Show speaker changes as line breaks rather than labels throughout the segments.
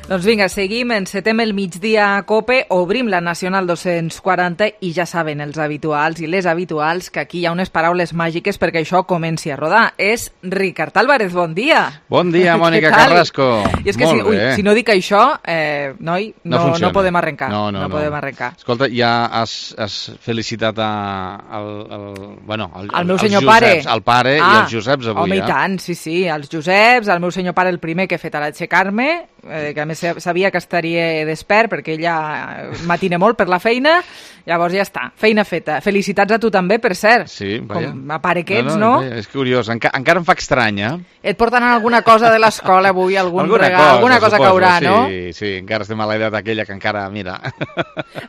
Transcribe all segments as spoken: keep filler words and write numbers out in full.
Doncs vinga, seguim, encetem el migdia a COPE, obrim la Nacional dos-cents quaranta i ja saben els habituals i les habituals que aquí hi ha unes paraules màgiques perquè això comenci a rodar. És Ricard Álvarez, bon dia.
Bon dia, Mònica Carrasco.
I és que
Molt
si, ui,
bé.
si no dic això, eh, noi, no, no, no podem arrencar.
No, no,
no,
no.
podem arrencar.
Escolta, ja has, has felicitat a, al, al, bueno, al,
al meu
als
senyor
Joseps,
pare.
al pare
ah,
i als Joseps avui.
Home,
eh?
i tant, sí, sí, als Joseps, al meu senyor pare el primer que he fet a l'aixecar-me, eh, que a més sabia que estaria despert perquè ella matina molt per la feina, llavors ja està, feina feta. Felicitats a tu també, per cert.
Sí, vaja.
Com a pare que ets,
no?
no?
no? És curiós, Enca encara em fa estrany, eh?
Et porten alguna cosa de l'escola avui, algun
alguna
regal,
cosa,
alguna cosa
suposo,
caurà,
sí,
no?
Sí, sí, encara estem a l'edat aquella que encara, mira...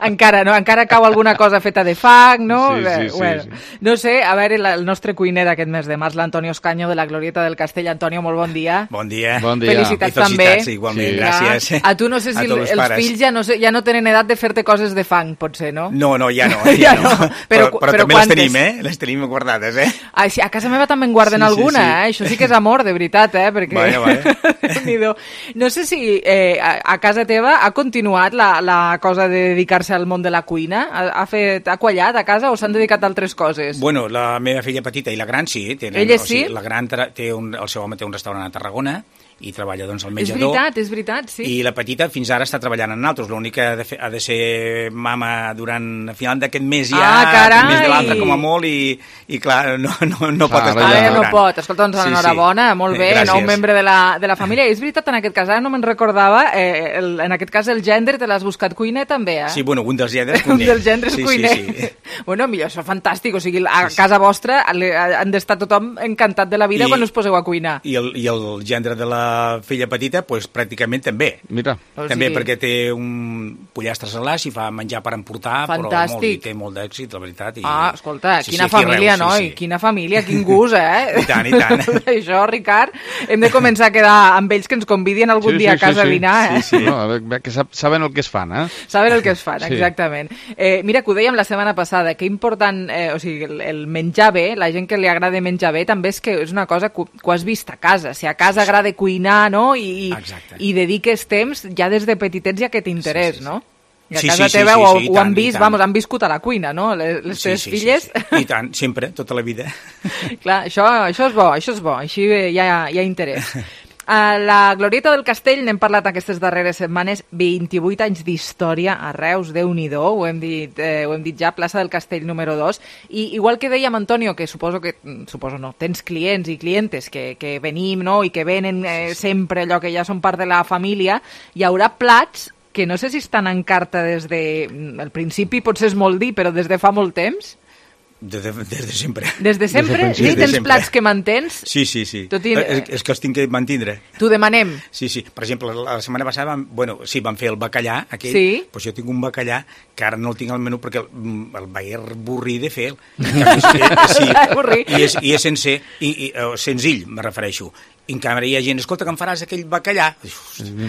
Encara, no? Encara cau alguna cosa feta de fang, no?
Sí, sí, sí,
bueno,
sí.
No sé, a veure, el nostre cuiner d'aquest mes de març, l'Antonio Escaño de la Glorieta del Castell. Antonio, molt bon dia.
Bon dia.
Bon dia.
Felicitats,
I
també.
felicitats, igualment,
Sí.
gràcies.
A tu no sé si el, els
pares.
fills ja no, sé, ja no tenen edat de fer-te coses de fang, potser, no?
No, no, ja no.
Ja
Ja,
no.
no.
Però-
Però, però,
però
també
quantes?
les tenim, eh? Les tenim guardades, eh?
Ah, sí, a casa meva també en guarden
Sí, sí,
alguna,
sí.
eh? Això sí que és amor, de veritat, eh? Perquè...
Vaja, vaja.
Déu-n'hi-do. No sé si eh, a, a casa teva ha continuat la, la cosa de dedicar-se al món de la cuina? Ha, ha, fet, ha quallat a casa o s'han dedicat a altres coses?
Bueno, la meva filla petita i la gran sí. Tenen,
Elles
o sigui,
sí?
La gran tra- té un, el seu home té un restaurant a Tarragona i treballa doncs al
És
menjador.
veritat, és veritat, sí.
I la petita fins ara està treballant en altres. L'únic que ha de, fer, ha de ser mama durant a final d'aquest mes ja,
Ah, carai!
aquest mes de l'altre com a molt i, i clar, no, no, no pot
Clar,
estar
ara
Ara
ja
ja no
durant.
pot. Escolta, doncs
Sí, sí.
enhorabona, molt bé,
Gràcies.
nou membre de la, de la família. I és veritat, en aquest cas, ara no me'n recordava, eh, el, en aquest cas el gendre te l'has buscat cuiner també, eh?
Sí, bueno, un dels gendres
Un
cuiner.
dels gendres
sí,
cuiner.
Sí, sí.
Bueno, millor, això és fantàstic. O sigui, a casa vostra le- han d'estar tothom encantat de la vida
I-
quan us poseu a cuinar.
I el, I el gendre de la filla petita, pues, pràcticament també.
Mira,
O
També
sigui-
perquè té un pollastre salàs i fa menjar per emportar, però molt,
Fantàstic.
i té molt d'èxit, la veritat. I...
Ah, escolta,
Sí,
quina
sí, aquí
família,
Reus,
noi,
sí, sí.
quina família, quin gust, eh?
I tant, i tant.
Això, Ricard, hem de començar a quedar amb ells que ens convidien algun
Sí,
dia
sí,
a casa
sí,
a dinar, eh?
sí, sí. No, a veure, que sap, saben el que es fan, eh?
Saben el que es fan,
Sí.
exactament. Eh, mira, que ho dèiem la setmana passada, que important, eh, o sigui, el, el menjar bé, la gent que li agrada menjar bé, també és que és una cosa que, que ho has vist a casa. Si a casa agrada cuinar, no?, i,
Exacte.
i dediques temps, ja des de petitets hi ha aquest interès,
Sí, sí, sí.
no? I a
Sí,
casa
sí, sí,
teva
sí,
ho,
sí, i
ho
tant,
han
i
vist,
tant.
vamos, han viscut a la cuina, no? Les, les teves
sí,
filles...
Sí, sí. I tant, sempre, tota la vida.
Clar, això, això és bo, això és bo, així hi ha, hi ha interès. A la Glorieta del Castell n'hem parlat aquestes darreres setmanes, vint-i-vuit anys d'història a Reus, Déu-n'hi-do, ho hem dit, eh, ho hem dit ja, plaça del Castell número dos, i igual que dèiem, Antonio, que suposo que, suposo no, tens clients i clientes que, que venim, no?, i que venen eh, sempre allò que ja són part de la família, hi haurà plats que no sé si estan en carta des de... El principi potser és molt dir, però des de fa molt temps?
Des de, des de sempre.
Des de sempre?
principi.
Sí,
Des de
tens
sempre.
plats que mantens?
Sí, sí, sí.
Tot i-
És, és que els tinc que mantindre.
T'ho demanem.
Sí, sí. Per exemple, la setmana passada, vam, bueno, sí, vam fer el bacallà, aquell,
Sí.
doncs jo tinc un bacallà que ara no el tinc al menú perquè el, el vaig avorrir de fer. En canvi, és, és, sí,
Avorrir.
i és, i és sencer, i, i, uh, senzill, me refereixo. I en canvi hi ha gent, escolta, que em faràs aquell bacallà?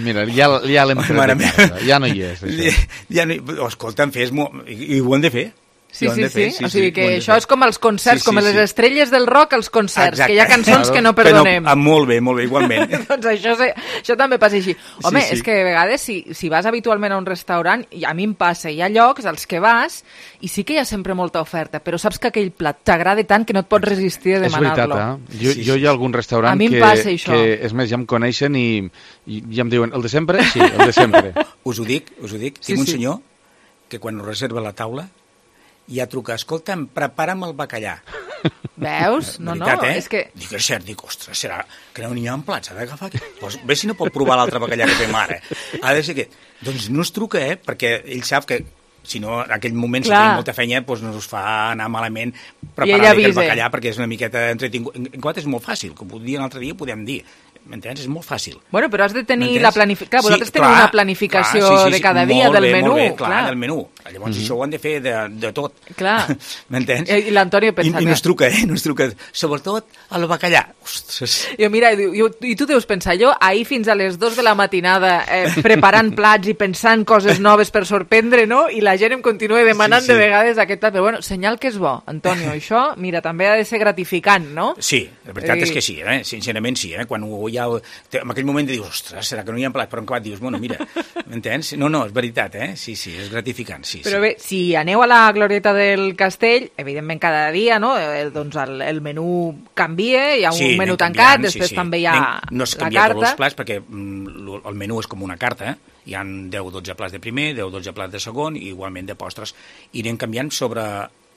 Mira, ja, ja l'hem tret
Mare
de
meva.
casa, ja no hi és, això.
Ja no, escolta, em fes... Mo... I, I ho hem de fer.
Sí,
I ho hem
sí,
de
sí,
fer,
o sigui que
ho hem de
això
fer.
és com els concerts,
Sí, sí,
com les
sí.
estrelles del rock, els concerts,
Exacte.
que hi ha cançons que no
Que
perdonem.
ah, molt bé, molt bé, igualment.
Doncs això, se- això també passa així. Home,
Sí, sí.
és que a vegades si, si vas habitualment a un restaurant, i a mi em passa, hi ha llocs als que vas i sí que hi ha sempre molta oferta, però saps que aquell plat t'agrada tant que no et pots resistir a
És veritat,
demanar-lo.
eh? Jo,
Sí,
jo
sí.
hi ha algun restaurant
A mi em
que,
passa això.
que, és més, ja em coneixen i, i ja em diuen, el de sempre? Sí, el de sempre.
Us ho dic, us ho dic.
Sí,
Tinc un
sí.
senyor que quan us reserva la taula ja truca, escolta'm, prepara'm el bacallà.
Veus? No, no,
Veritat, eh?
és que...
Dic, és cert, dic, ostres, serà que no n'hi ha en plats, ha d'agafar aquí. Pues, bé si no pot provar l'altre bacallà que fem ara. Ha de ser aquest. Doncs no es truca, eh? Perquè ell sap que si no, en aquell moment, si
Clar.
tenim molta feina, doncs no us fa anar malament
ell
preparar aquest
avisa.
bacallà, perquè és una miqueta entretingut. En, en quart és molt fàcil, com ho dient l'altre dia, podem dir. M'entens? És molt fàcil.
Bueno, però has de tenir
M'entens?
la planificació... Clar, vosaltres
Sí,
teniu
clar,
una planificació
clar, sí, sí,
de
sí,
cada dia
molt
del
bé,
menú.
Molt bé, clar, del menú. Llavors mm-hmm. això ho han de fer de, de tot.
Clar.
M'entens?
I, i l'Antonio pensa
I, i
que...
no es truca, eh? No es truca. Sobretot el bacallà. Ostres.
Jo, mira, i, i tu deus pensar, jo ahir fins a les dues de la matinada eh, preparant plats i pensant coses noves per sorprendre, no? I la gent em continua demanant sí, sí. de vegades aquest plat. Però bueno, senyal que és bo, Antonio. Això, mira, també ha de ser gratificant, no?
Sí, la veritat
I...
és que sí, eh? Sincerament sí. Eh? Quan ho ja... En aquell moment dius, ostres, serà que no hi ha plat? Però en acabat dius, bueno, mira, m'entens? No, no, és veritat, eh? Sí, sí, és gratificant, sí.
Però
sí.
bé, si aneu a la Glorieta del Castell, evidentment cada dia, no? El, doncs el, el menú canvia, hi ha un
sí,
menú tancat, després
sí, sí.
també hi ha
anem, no es
la
canvia
carta.
tots els plats perquè mm, el menú és com una carta, eh? Hi ha deu o dotze plats de primer, deu o dotze plats de segon i igualment de postres. I anem canviant sobre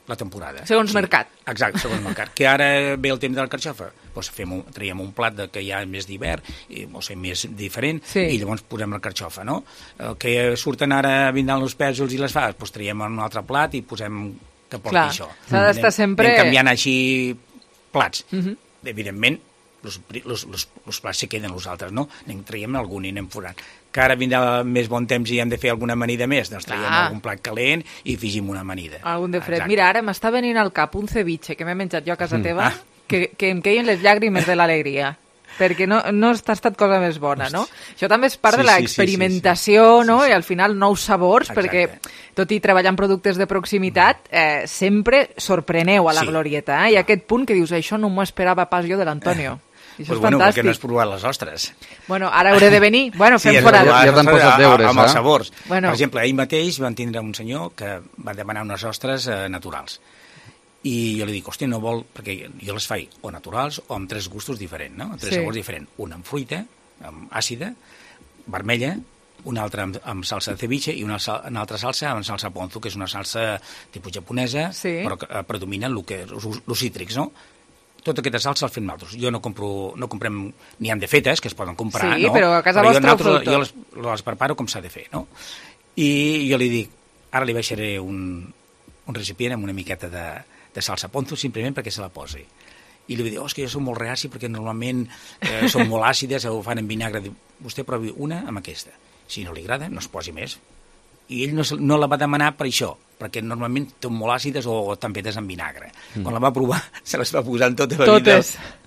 la temporada.
Segons
sí.
mercat.
Exacte, segons mercat. Que ara ve el temps de la carxofa, doncs fem un, traiem un plat de, que hi ha més d'hivern, o sigui, més diferent,
sí.
i llavors posem la carxofa, no? El que surten ara vindran els pèsols i les faves, doncs traiem un altre plat i posem que porti
Clar,
això.
s'ha d'estar sempre...
Anem canviant així plats.
Uh -huh.
Evidentment, els plats se queden els altres, no? Anem traiem algun i anem forant. Que ara vindrà més bon temps i hem de fer alguna amanida més, doncs traiem
ah.
algun plat calent i afegim una amanida.
Algun de fred.
Exacte.
Mira, ara m'està venint al cap un ceviche que m'he menjat jo a casa teva,
Ah.
que, que em queien les llàgrimes de l'alegria. Perquè no, no ha estat cosa més bona, no? Això també és part
sí,
de la
sí,
experimentació,
sí, sí, sí.
no?
Sí, sí.
I al final nous sabors,
Exacte.
perquè tot i treballar en productes de proximitat, eh, sempre sorpreneu a la
Sí.
Glorieta, eh? I aquest punt que dius, això no m'ho esperava pas jo de l'Antonio. I això
Pues
és
bueno,
fantàstic.
perquè no has provat les ostres.
Bueno, ara hauré de venir. Bueno, fem
sí,
fora.
ja- ja t'han posat deures,
amb els
eh?
sabors.
Bueno.
Per exemple, ahir mateix van tindre un senyor que va demanar unes ostres eh, naturals. I jo li dic, hòstia, no vol... Perquè jo les faig o naturals o amb tres gustos diferents, no? Amb tres
Sí.
sabors diferents. Una amb fruita, amb àcida, vermella, una altra amb, amb salsa de ceviche i una, sal, una altra salsa amb salsa ponzu, que és una salsa tipus japonesa,
Sí.
però que eh, predominen el que, els, els cítrics, no? Tota aquesta salsa els fem nosaltres. Jo no compro, no comprem, n'hi han de fetes, que es poden comprar,
Sí,
no?
però a casa
jo,
vostra ho feu
nosaltres,
tot.
jo les, les preparo com s'ha de fer, no? I jo li dic, ara li baixaré un, un recipient amb una miqueta de, de salsa ponzu, simplement perquè se la posi. I li dic, oh, és que jo soc molt reaci perquè normalment eh, són molt àcides, ho fan en vinagre. Diu, vostè provi una amb aquesta. Si no li agrada, no es posi més. I ell no, se- no la va demanar per això, perquè normalment són molt àcides o, o també fetes en vinagre. Mm. Quan la va provar, se les va posar en tota la
Totes.
vida.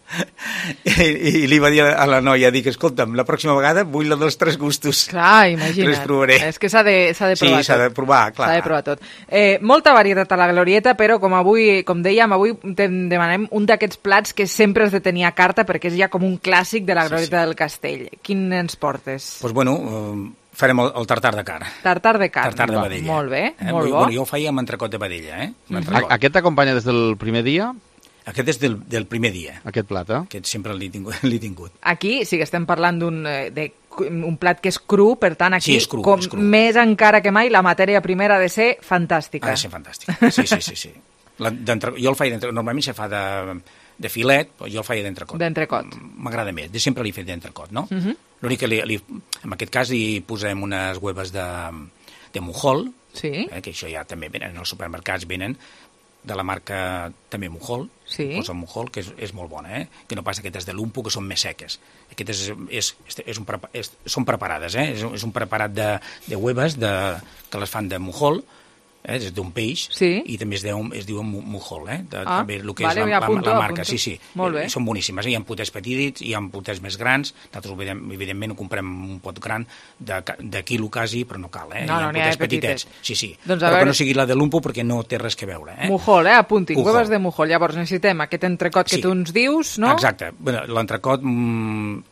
I, I li va dir a la noia, dic, escolta'm, la pròxima vegada vull la dels tres gustos.
Clar, imagina't.
Les provaré.
És que s'ha de, s'ha de
Sí,
provar
s'ha
tot.
de provar, clar.
S'ha de provar tot. Eh, molta varietat a la Glorieta, però com avui, com dèiem, avui te demanem un d'aquests plats que sempre has de tenir a carta perquè és ja com un clàssic de la Glorieta sí, sí. del Castell. Quin ens portes?
Doncs pues bueno, eh, farem el, el tartar de carn.
Tartar de carn.
Tartar de vedella.
Molt bé,
eh?
molt bo.
Bueno, jo ho feia amb entrecot de vedella, eh? Amb
A-
entrecot.
Aquest t'acompanya des del primer dia,
Aquest és del, del primer dia.
aquest plat, eh?
Aquest sempre l'he tingut. L'he tingut.
Aquí sí que estem parlant d'un eh, de un plat que és cru, per tant aquí
Sí, és cru,
com
és cru.
més encara que mai la matèria primera ha de ser fantàstica.
Ha de ser fantàstic. Sí, sí, sí. sí. La, jo el faig d'entrecot. Normalment se fa de, de filet, però jo el faig d'entrecot.
D'entrecot.
M'agrada més. De sempre l'he fet d'entrecot, no?
Uh -huh.
L'únic que li, li, en aquest cas hi posem unes hueves de, de mujol,
Sí.
eh, que això ja també venen, als supermercats venen de la marca també Mujol,
Sí.
posa Mujol, que és, és molt bona, eh? Que no passa aquestes de Lumpo, que són més seques. Aquestes és, és, és un, prepa- és, són preparades, eh? És, un- és un preparat de, de hueves de, que les fan de Mujol, eh? És d'un peix,
Sí.
i també es, deu, es diu Mujol, eh? De,
Ah,
també el que
vale,
és
ja
la, la,
apunto,
la marca.
apunto.
Sí, sí,
Molt bé.
Eh, són boníssimes. Eh? Hi ha potets petits, hi ha potets més grans, nosaltres evident- evidentment ho comprem un pot gran de, ca- de quilo quasi, però no cal, eh?
No,
Hi ha
no, n'hi ha
potets
de petites.
petitets. Sí, sí,
Doncs a
però
veure-
que no sigui la de Lumpo perquè no té res que veure, eh?
Mujol, eh? Apuntin,
Mujol.
hueves de Mujol. Llavors necessitem aquest entrecot que
Sí.
tu ens dius, no?
Exacte. Bueno, l'entrecot, mm,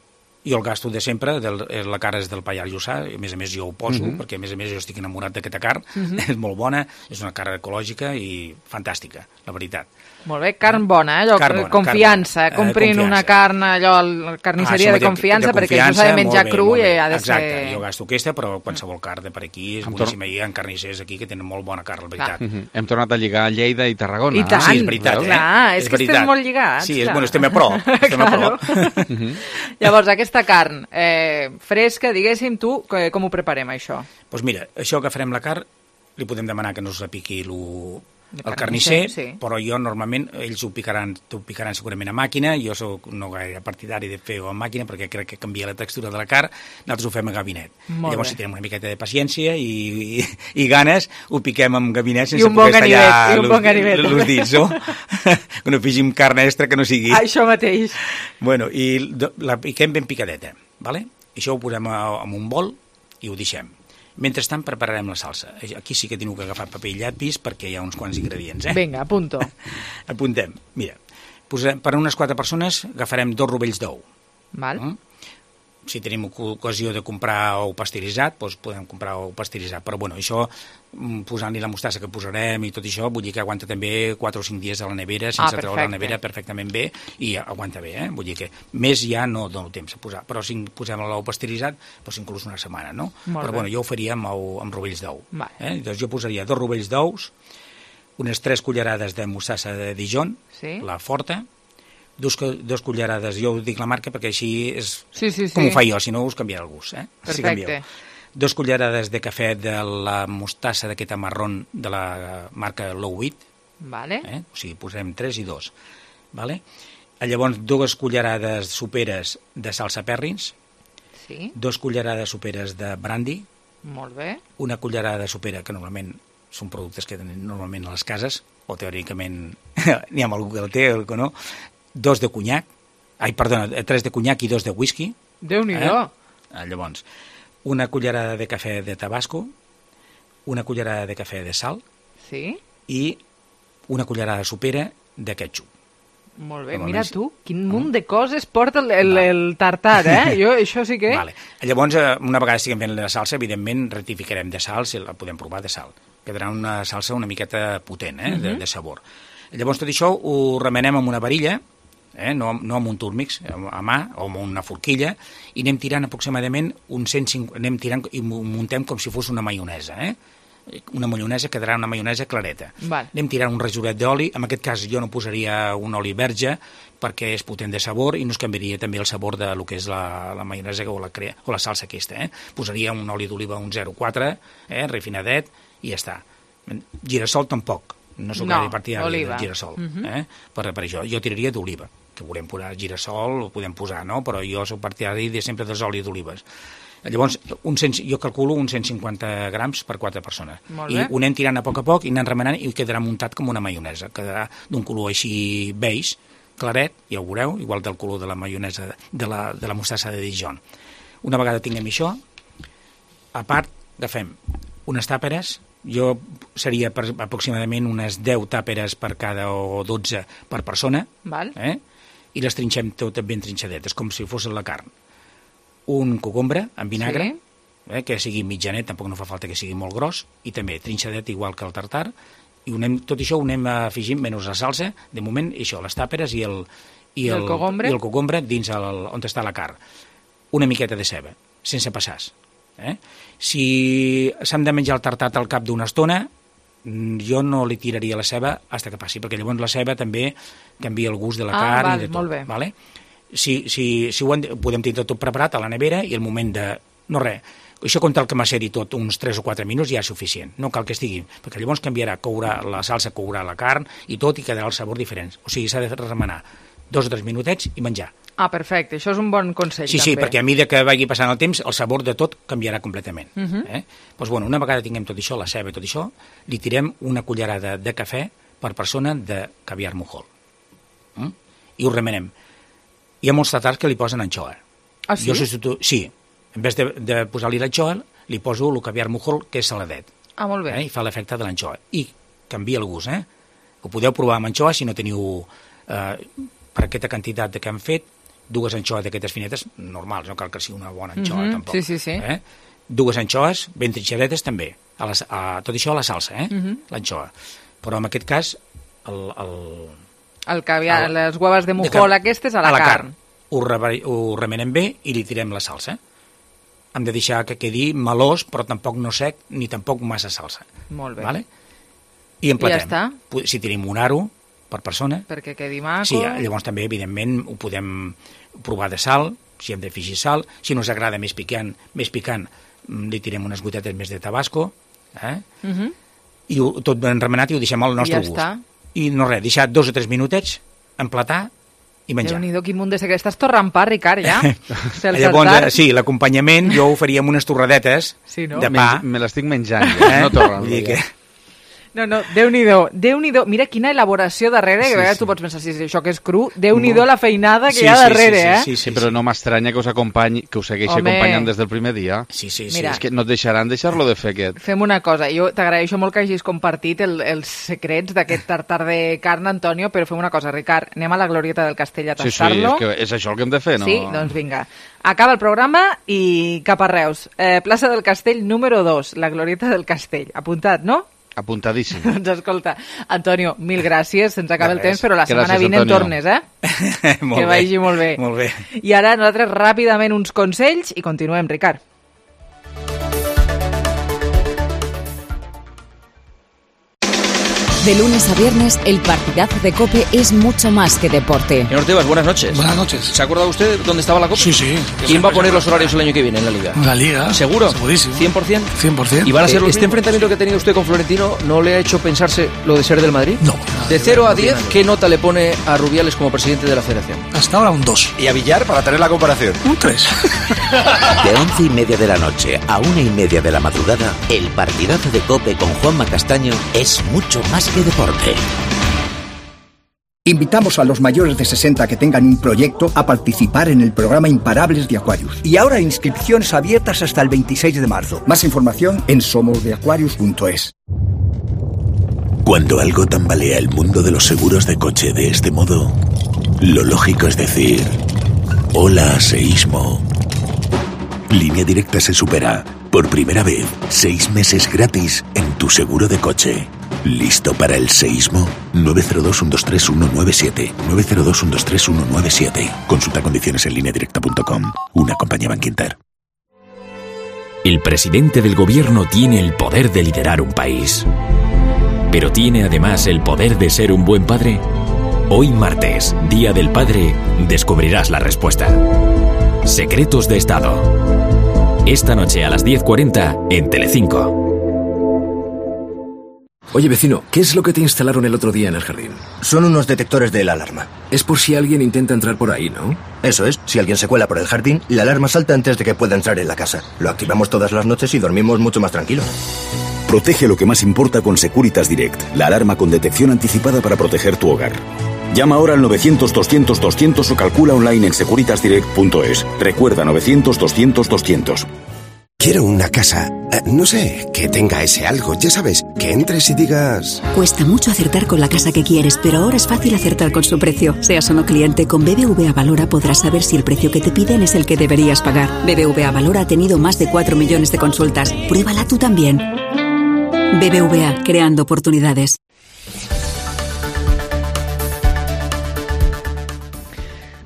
jo el gasto de sempre, del, eh, la cara és del Pallars Jussà, a més a més jo ho poso,
Mhm.
mm -hmm. perquè a més a més jo estic enamorat d'aquesta carn, mm -hmm. és molt bona, és una carn ecològica i fantàstica, la veritat.
Molt bé, carn bona, eh? Allò,
Carn bona,
confiança,
carn bona.
comprin
Eh, confiança.
una carn allò, a la carnisseria
Ah,
de
sí,
confiança, perquè això
confiança,
s'ha de menjar
molt bé,
cru
molt
i
bé.
ha de
Exacte,
ser...
jo gasto aquesta, però qualsevol carn de per aquí és
Em
boníssima. Hi ha carnissers aquí que tenen molt bona carn, la veritat.
Uh -huh. Hem tornat a lligar Lleida i Tarragona.
I tant.
Sí, és veritat, eh?
Clar, és,
És
que estem
veritat.
molt lligats.
Sí, és,
clar.
bueno, estem a pro. Estem a pro.
Llavors, aquesta carn eh, fresca, diguéssim, tu, que- com ho preparem, això?
Doncs mira, això que farem la carn, li podem demanar que no us repiqui lo, el carnisser,
sí.
però jo normalment, ells ho picaran, ho picaran segurament a màquina, jo soc no gaire partidari de fer-ho a màquina perquè crec que canvia la textura de la carn, nosaltres ho fem a gabinet.
Molt
Llavors,
bé.
si tenim una miqueta de paciència i, i, i ganes, ho piquem amb gabinet sense
I un bon
poder
ganivet,
tallar
i un bon ganivet,
els
també.
dits, no? Que no afegim carn extra que no sigui.
Això mateix.
Bueno, i la piquem ben picadeta, ¿vale? Això ho posem en un bol i ho deixem. Mentrestant prepararem la salsa. Aquí sí que teniu que agafar paper i llapis perquè hi ha uns quants ingredients, eh?
Vinga, apunto.
Apuntem. Mira, posarem, per a unes quatre persones agafarem dos rovells d'ou.
Val.
Mm? Si tenim ocasió de comprar ou pasteuritzat, doncs podem comprar ou pasteuritzat. Però bueno, això, posant-li la mostassa que posarem i tot això, vull dir que aguanta també quatre o cinc dies a la nevera, sense
ah,
treure la nevera perfectament bé, i aguanta bé, eh? Vull dir que més ja no dono temps a posar. Però si posem l'ou pasteuritzat, doncs inclús una setmana, no?
Molt
Però
bé.
bueno, jo ho faria amb, ou, amb rovells d'ou.
Vale.
Eh? Doncs jo posaria dos rovells d'ous, unes tres cullerades de mostassa de Dijon,
Sí.
la forta, dos, dos cullerades, jo us dic la marca perquè així és
Sí, sí, sí.
com ho faig jo, si no us canviarà el gust. Eh? Si
Perfecte.
canvieu. Dos cullerades de cafè de la mostassa d'aquesta marrón de la marca Low Wheat,
Vale.
eh? O sigui, posarem tres i dos. Vale? Llavors, dues cullerades soperes de salsa perrins,
Sí.
dos cullerades soperes de brandy,
Molt bé.
una cullerada sopera, que normalment són productes que tenen normalment a les cases, o teòricament n'hi ha algú que el té o que no, dos de conyac, ai, perdona, tres de conyac i dos de whisky.
Déu-n'hi-do.
Eh? Llavors, una cullerada de cafè de tabasco, una cullerada de cafè de sal
Sí.
i una cullerada sopera de ketchup.
Molt bé.
Normalment
Mira
sí.
tu, quin munt de coses porta el, el, el tartar, eh? Jo, això sí que...
Vale. Llavors, eh, una vegada estiguem fent la salsa, evidentment rectificarem de sal, si la podem provar de sal. Quedarà una salsa una miqueta potent, eh, de, de sabor. Llavors, tot això ho remenem amb una varilla, eh, no, no amb un túrmix, a mà o amb una forquilla, i anem tirant aproximadament un cent cinquanta, anem tirant i ho muntem com si fos una maionesa, eh? Una maionesa quedarà una maionesa clareta.
Val.
Anem tirant un rajolet d'oli, en aquest cas jo no posaria un oli verge perquè és potent de sabor i no es canviaria també el sabor de lo que és la, la maionesa o la, crea, o la salsa aquesta. Eh? Posaria un oli d'oliva, un zero coma quatre, eh? refinadet, i ja està. Girassol tampoc, no sóc
No,
gaire partidari
oliva.
del girassol,
Mhm.
eh? per, per això. Jo tiraria d'oliva, que volem posar girassol, ho podem posar, no? Però jo sóc partidari de sempre dels olis d'olives. Llavors, un cent, jo calculo uns cent cinquanta grams per quatre persones.
Molt
I
bé.
ho anem tirant a poc a poc i anem remenant i quedarà muntat com una maionesa. Quedarà d'un color així beige, claret, ja ho veureu, igual del color de la maionesa de la, de la mostassa de Dijon. Una vegada tinguem això, a part, agafem unes tàperes, jo seria per, aproximadament unes deu tàperes per cada o dotze per persona,
Val.
eh? I les trinxem totes ben trinxadetes, com si fos la carn. Un cogombre amb vinagre,
Sí.
eh, que sigui mitjanet, tampoc no fa falta que sigui molt gros, i també trinxadet igual que el tartar, i ho anem, tot això ho anem afegint, menys la salsa, de moment, això, les tàperes i el, i
I el cogombre?
i el cogombre dins el, on està la carn. Una miqueta de ceba, sense passars. Eh? Si s'han de menjar el tartat al cap d'una estona, jo no li tiraria la ceba fins que passi, perquè llavors la ceba també canvia el gust de la
Ah,
carn
val,
i de tot.
molt bé.
Vale? Si, si, si ho, han, ho podem tenir tot preparat a la nevera i el moment de... No res, això contra el que maceri tot uns tres o quatre minuts ja és suficient, no cal que estigui, perquè llavors canviarà, courà la salsa, courà la carn i tot, i quedarà el sabor diferent. O sigui, s'ha de remenar dos o tres minutets i menjar.
Ah, perfecte. Això és un bon consell,
Sí,
també.
sí, perquè a mesura que vagi passant el temps, el sabor de tot canviarà completament.
Uh -huh.
eh? Doncs, bueno, una vegada tinguem tot això, la ceba i tot això, li tirem una cullerada de cafè per persona de caviar mojol. Mm? I ho remenem. Hi ha molts tatars que li posen anxoa.
Ah, sí?
Jo substitu... Sí, en vez de, de posar-li l'anxoa, li poso el caviar mojol, que és saladet.
Ah, molt bé.
Eh? I fa l'efecte de l'anxoa. I canvia el gust, eh? Ho podeu provar amb anxoa si no teniu... Eh, per aquesta quantitat que han fet, dues anxoes d'aquestes finetes, normals, no cal que sigui una bona anxoa,
Mhm,
tampoc.
sí, sí, sí.
Eh? Dues anxoes ben trinxadetes també, a la, a, tot això a la salsa, eh?
Mhm.
L'anxoa. Però en aquest cas, el, el,
El caviar,
el-
les hueves de
de
mojol
carn.
aquestes a la, carn.
Ho, re, ho remenem bé i li tirem la salsa. Hem de deixar que quedi melós, però tampoc no sec, ni tampoc massa salsa.
Molt bé.
Vale? I emplatem.
I ja està.
Si tenim un aro per persona,
Perquè quedi maco.
sí, llavors també, evidentment, ho podem provar de sal, si hem d'afegir sal. Si no us agrada més picant, més picant, li tirem unes gotetes més de tabasco. Eh?
Uh -huh.
i ho, tot ben remenat i ho deixem al nostre
ja
gust.
Està.
I no res, deixar dos o tres minutets, emplatar i menjar.
Déu-n'hi-do, quin munt de secret. Estàs torrant pa, Ricard, ja?
Llavors, sí, l'acompanyament jo ho faria amb unes torradetes
sí, no?
de pa.
Me, me l'estic menjant, ja, eh? No torren.
Vull dir que...
No, no, Déu-n'hi-do, Déu-n'hi-do. Mira quina elaboració darrere, que
sí,
a vegades
sí.
tu pots pensar, si això que és cru, Déu-n'hi-do la feinada que
sí,
hi ha
sí,
darrere,
sí, sí,
eh?
sí, sí,
Sí, però no m'estranya que us acompanyi, que us segueixi
Home.
acompanyant des del primer dia.
Sí, sí, sí.
Mira.
És que no et deixaran deixar-lo de fer aquest.
Fem una cosa, jo t'agraeixo molt que hagis compartit el, els secrets d'aquest tartar de carn, Antonio, però fem una cosa, Ricard, anem a la Glorieta del Castell a
Sí, sí,
tastar-lo.
és, que és això el que hem de fer, no?
Sí? Doncs vinga. Acaba el programa i cap a Reus. Eh, plaça del Castell número dos, la Glorieta del Castell. Apuntat, no?
Apuntadíssim.
Doncs escolta, Antonio, mil gràcies, se'ns acaba
De
el
res.
temps, però la setmana
Gràcies,
vinent
Antonio.
tornes, eh?
Molt
Que
bé.
vagi molt bé.
Molt bé.
I ara nosaltres ràpidament uns consells i continuem, Ricard.
De lunes a viernes, el partidazo de COPE es mucho más que deporte.
Señor Tebas, buenas noches.
Buenas noches.
¿Se ha acordado usted dónde estaba la Copa?
Sí, sí.
¿Quién va a poner los horarios el año que viene en la Liga?
La Liga.
¿Seguro?
Segurísimo.
¿cien por ciento?
cien por ciento.
¿Y van a ser
Eh,
los ¿Este enfrentamiento que ha tenido usted con Florentino no le ha hecho pensarse lo de ser del Madrid?
No.
De cero a diez, ¿qué nota le pone a Rubiales como presidente de la Federación?
Hasta ahora un dos.
Y a Villar para tener la comparación.
Un tres.
De once y media de la noche a una y media de la madrugada, el partidazo de COPE con Juanma Castaño es mucho más que deporte.
Invitamos a los mayores de sesenta que tengan un proyecto a participar en el programa Imparables de Aquarius. Y ahora inscripciones abiertas hasta el veintiséis de marzo. Más información en somos de aquarius punto es.
Cuando algo tambalea el mundo de los seguros de coche de este modo, lo lógico es decir: hola, seísmo. Línea Directa se supera. Por primera vez, seis meses gratis en tu seguro de coche. ¿Listo para el seísmo? nueve cero dos, uno dos tres, uno nueve siete. nueve cero dos, uno dos tres, uno nueve siete. Consulta condiciones en línea directa punto com. Una compañía Bankinter.
El presidente del gobierno tiene el poder de liderar un país. ¿Pero tiene además el poder de ser un buen padre? Hoy martes, Día del Padre, descubrirás la respuesta. Secretos de Estado. Esta noche a las diez cuarenta en Telecinco.
Oye, vecino, ¿qué es lo que te instalaron el otro día en el jardín?
Son unos detectores de la alarma.
Es por si alguien intenta entrar por ahí, ¿no?
Eso es, si alguien se cuela por el jardín, la alarma salta antes de que pueda entrar en la casa. Lo activamos todas las noches y dormimos mucho más tranquilos.
Protege lo que más importa con Securitas Direct, la alarma con detección anticipada para proteger tu hogar. Llama ahora al novecientos, doscientos, doscientos o calcula online en securitas direct punto es. Recuerda novecientos, doscientos, doscientos.
Quiero una casa, eh, no sé, que tenga ese algo, ya sabes, que entres y digas...
Cuesta mucho acertar con la casa que quieres, pero ahora es fácil acertar con su precio. Seas o no cliente, con B B V A Valora podrás saber si el precio que te piden es el que deberías pagar. B B V A Valora ha tenido más de cuatro millones de consultas. Pruébala tú también. B B V A, creando oportunidades.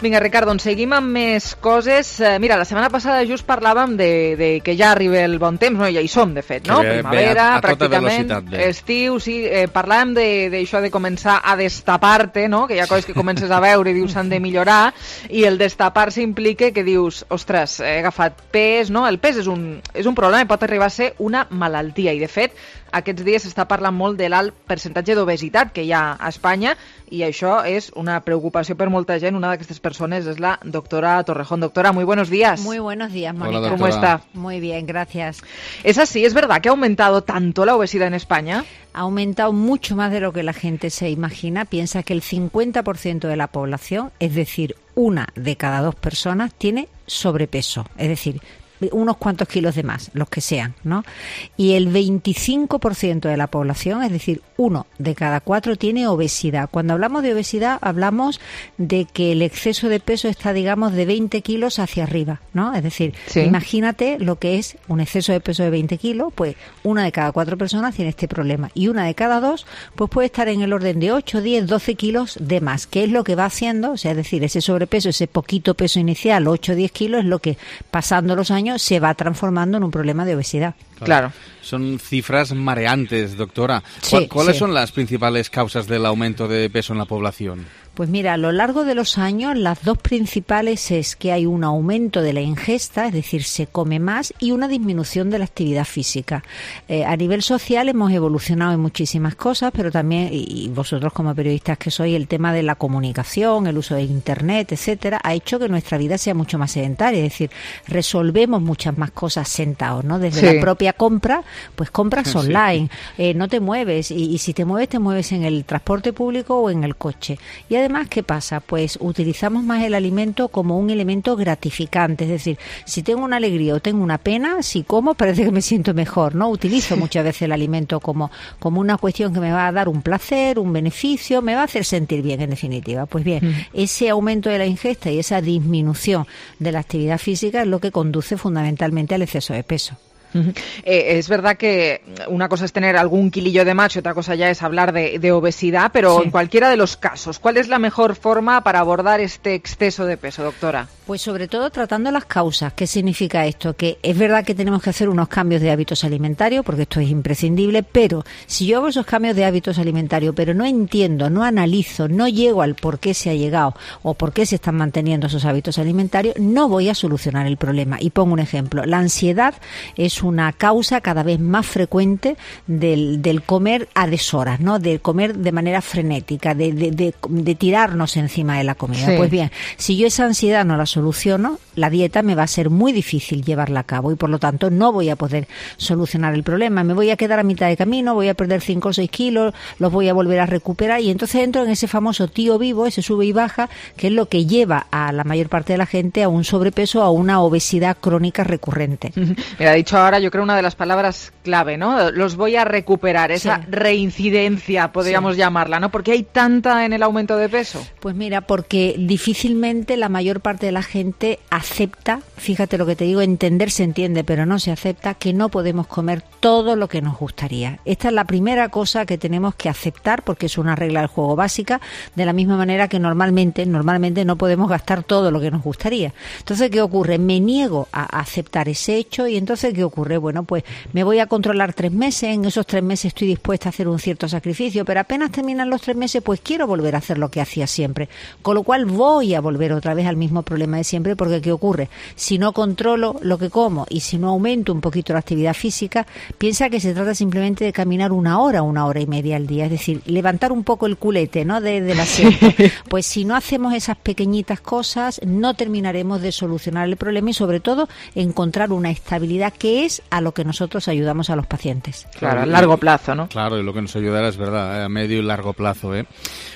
Vinga, Ricard, doncs seguim amb més coses. Eh, mira, la setmana passada just parlàvem de, de que ja arriba el bon temps, no? Ja hi som, de fet, no?
Que ve-
Primavera,
ve a- a tota
pràcticament,
velocitat ve.
estiu, sí. Eh, parlàvem de- d'això de, de començar a destapar-te, no? Que hi ha coses que comences a veure i dius s'han de millorar, i el destapar-se implica que dius, ostres, he agafat pes, no? El pes és un, és un problema i pot arribar a ser una malaltia, i de fet, aquests dies s'està parlant molt de l'alt percentatge d'obesitat que hi ha a Espanya, y això és una preocupació per molta gent. Una d'aquestes persones és la doctora Torrejón. Doctora, muy buenos días.
Muy buenos días, Mónica.
¿Cómo está?
Muy bien, gracias.
¿Es así? ¿Es verdad que ha aumentado tanto la obesidad en España?
Ha aumentado mucho más de lo que la gente se imagina. Piensa que el cincuenta por ciento de la población, es decir, una de cada dos personas, tiene sobrepeso. Es decir, unos cuantos kilos de más, los que sean, ¿no? Y el veinticinco por ciento de la población, es decir, uno de cada cuatro, tiene obesidad. Cuando hablamos de obesidad, hablamos de que el exceso de peso está, digamos, de veinte kilos hacia arriba, ¿no? Es decir,
Sí.
imagínate lo que es un exceso de peso de veinte kilos, pues una de cada cuatro personas tiene este problema. Y una de cada dos, pues puede estar en el orden de ocho, diez, doce kilos de más, que es lo que va haciendo, o sea, es decir, ese sobrepeso, ese poquito peso inicial, ocho o diez kilos, es lo que, pasando los años, se va transformando en un problema de obesidad.
Claro.
Son cifras mareantes, doctora.
Sí,
¿Cuál- ¿Cuáles
sí.
son las principales causas del aumento de peso en la población?
Pues mira, a lo largo de los años las dos principales es que hay un aumento de la ingesta, es decir, se come más, y una disminución de la actividad física. Eh, a nivel social hemos evolucionado en muchísimas cosas, pero también, y vosotros como periodistas que sois, el tema de la comunicación, el uso de Internet, etcétera, ha hecho que nuestra vida sea mucho más sedentaria, es decir, resolvemos muchas más cosas sentados, ¿no? Desde sí. la propia compra, pues compras online, sí. eh, no te mueves, y, y si te mueves, te mueves en el transporte público o en el coche. Y además, ¿qué pasa? Pues utilizamos más el alimento como un elemento gratificante, es decir, si tengo una alegría o tengo una pena, si como parece que me siento mejor, ¿no? Utilizo muchas veces el alimento como, como una cuestión que me va a dar un placer, un beneficio, me va a hacer sentir bien, en definitiva. Pues bien, mm. ese aumento de la ingesta y esa disminución de la actividad física es lo que conduce fundamentalmente al exceso de peso.
Uh-huh. Eh, es verdad que una cosa es tener algún kilillo de más y otra cosa ya es hablar de, de obesidad, pero sí. en cualquiera de los casos, ¿cuál es la mejor forma para abordar este exceso de peso, doctora?
Pues sobre todo tratando las causas. ¿Qué significa esto? Que es verdad que tenemos que hacer unos cambios de hábitos alimentarios, porque esto es imprescindible, pero si yo hago esos cambios de hábitos alimentarios, pero no entiendo, no analizo, no llego al por qué se ha llegado o por qué se están manteniendo esos hábitos alimentarios, no voy a solucionar el problema. Y pongo un ejemplo. La ansiedad es una causa cada vez más frecuente del, del comer a deshoras, ¿no? Del comer de manera frenética, de, de, de, de tirarnos encima de la comida. Sí. Pues bien, si yo esa ansiedad no la soluciono, la dieta me va a ser muy difícil llevarla a cabo y por lo tanto no voy a poder solucionar el problema. Me voy a quedar a mitad de camino, voy a perder cinco o seis kilos, los voy a volver a recuperar y entonces entro en ese famoso tío vivo, ese sube y baja, que es lo que lleva a la mayor parte de la gente a un sobrepeso, a una obesidad crónica recurrente.
Me ha dicho ahora, yo creo, una de las palabras clave, ¿no? Los voy a recuperar, esa sí. reincidencia, podríamos sí. llamarla, ¿no? ¿Por qué hay tanta en el aumento de peso?
Pues mira, porque difícilmente la mayor parte de la gente acepta, fíjate lo que te digo, entender se entiende, pero no se acepta que no podemos comer todo lo que nos gustaría. Esta es la primera cosa que tenemos que aceptar porque es una regla del juego básica, de la misma manera que normalmente, normalmente no podemos gastar todo lo que nos gustaría. Entonces, ¿qué ocurre? Me niego a aceptar ese hecho y entonces, ¿qué ocurre? Bueno, pues me voy a controlar tres meses, en esos tres meses estoy dispuesta a hacer un cierto sacrificio, pero apenas terminan los tres meses, pues quiero volver a hacer lo que hacía siempre. Con lo cual voy a volver otra vez al mismo problema de siempre, porque ¿qué ocurre? Si no controlo lo que como y si no aumento un poquito la actividad física, piensa que se trata simplemente de caminar una hora, una hora y media al día, es decir, levantar un poco el culete, ¿no? De, del asiento. Pues si no hacemos esas pequeñitas cosas, no terminaremos de solucionar el problema y sobre todo encontrar una estabilidad que es a lo que nosotros ayudamos a los pacientes.
Claro, a largo plazo, ¿no?
Claro, y lo que nos ayudará es verdad, a medio y largo plazo, ¿eh?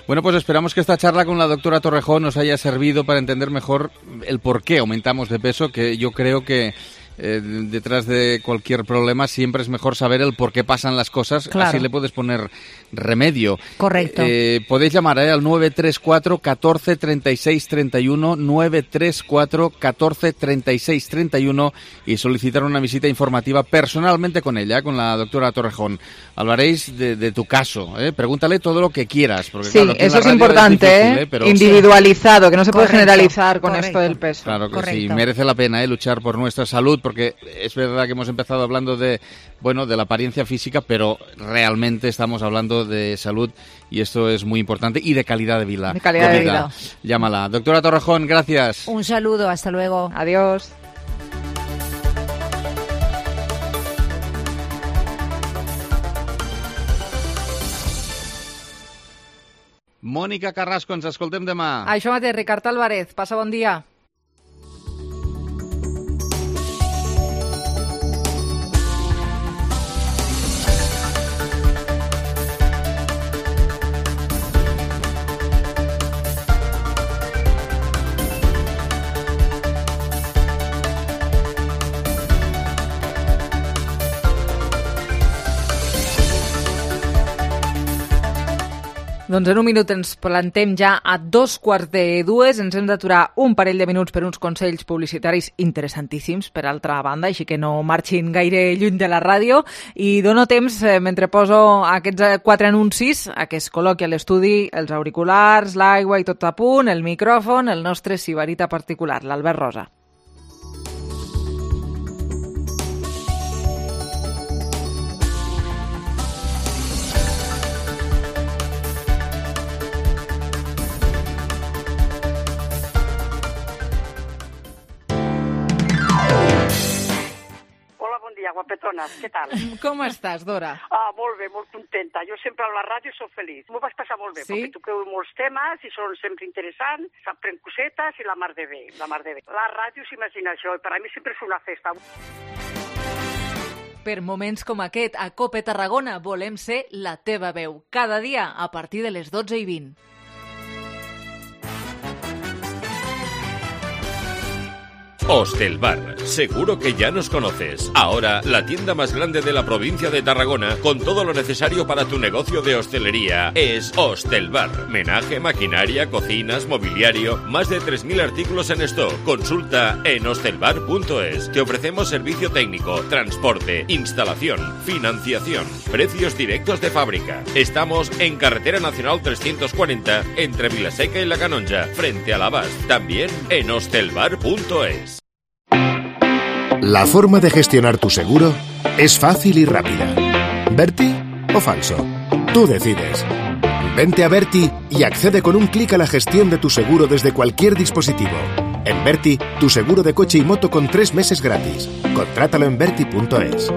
Bueno, pues esperamos que esta charla con la doctora Torrejón nos haya servido para entender mejor el por qué aumentamos de peso, que yo creo que eh, detrás de cualquier problema siempre es mejor saber el por qué pasan las cosas, claro. Así le puedes poner remedio.
Correcto.
Eh, podéis llamar eh, al nueve tres cuatro, catorce, treinta y seis, treinta y uno, nueve tres cuatro, catorce, treinta y seis, treinta y uno y solicitar una visita informativa personalmente con ella, con la doctora Torrejón. Hablaréis de, de tu caso, ¿eh? Pregúntale todo lo que quieras. Porque,
sí,
claro,
eso es importante, es difícil, ¿eh? Pero, individualizado, que no se puede
correcto,
generalizar con
correcto.
esto del peso.
Claro que
Correcto.
sí, merece la pena ¿eh? luchar por nuestra salud, porque es verdad que hemos empezado hablando de, bueno, de la apariencia física, pero realmente estamos hablando de salud y esto es muy importante y de calidad de vida.
De calidad de vida.
Llámala. Doctora Torrejón, gracias.
Un saludo, hasta luego.
Adiós.
Mònica Carrasco, ens escoltem demà.
Això mateix, Ricard Álvarez. Passa bon dia. Doncs en un minut ens plantem ja a dos quarts de dues. Ens hem d'aturar un parell de minuts per uns consells publicitaris interessantíssims, per altra banda, així que no marxin gaire lluny de la ràdio. I dono temps, eh, mentre poso aquests quatre anuncis, a que es col·loqui a l'estudi els auriculars, l'aigua i tot a punt, el micròfon, el nostre sibarita particular, l'Albert Rosa.
dones, què tal?
Com estàs, Dora?
Ah, molt bé, molt contenta. Jo sempre a la ràdio soc feliç. M'ho vaig passar molt bé,
sí?
perquè toqueu molts temes i són sempre interessants, s'aprèn cosetes i la mar de bé, la mar de bé. La ràdio s'imagina això, i per a mi sempre és una festa.
Per moments com aquest, a COPE Tarragona volem ser la teva veu. Cada dia a partir de les dotze i vint.
Hostelbar, seguro que ya nos conoces. Ahora, la tienda más grande de la provincia de Tarragona, con todo lo necesario para tu negocio de hostelería, es Hostelbar. Menaje, maquinaria, cocinas, mobiliario, más de tres mil artículos en stock. Consulta en hostelbar punto es. Te ofrecemos servicio técnico, transporte, instalación, financiación, precios directos de fábrica. Estamos en Carretera Nacional trescientos cuarenta, entre Vilaseca y La Canonja, frente a la Abast. También en hostelbar punto es.
La forma de gestionar tu seguro es fácil y rápida. ¿Berti o falso? Tú decides. Vente a Berti y accede con un clic a la gestión de tu seguro desde cualquier dispositivo. En Berti, tu seguro de coche y moto con tres meses gratis. Contrátalo en berti punto es.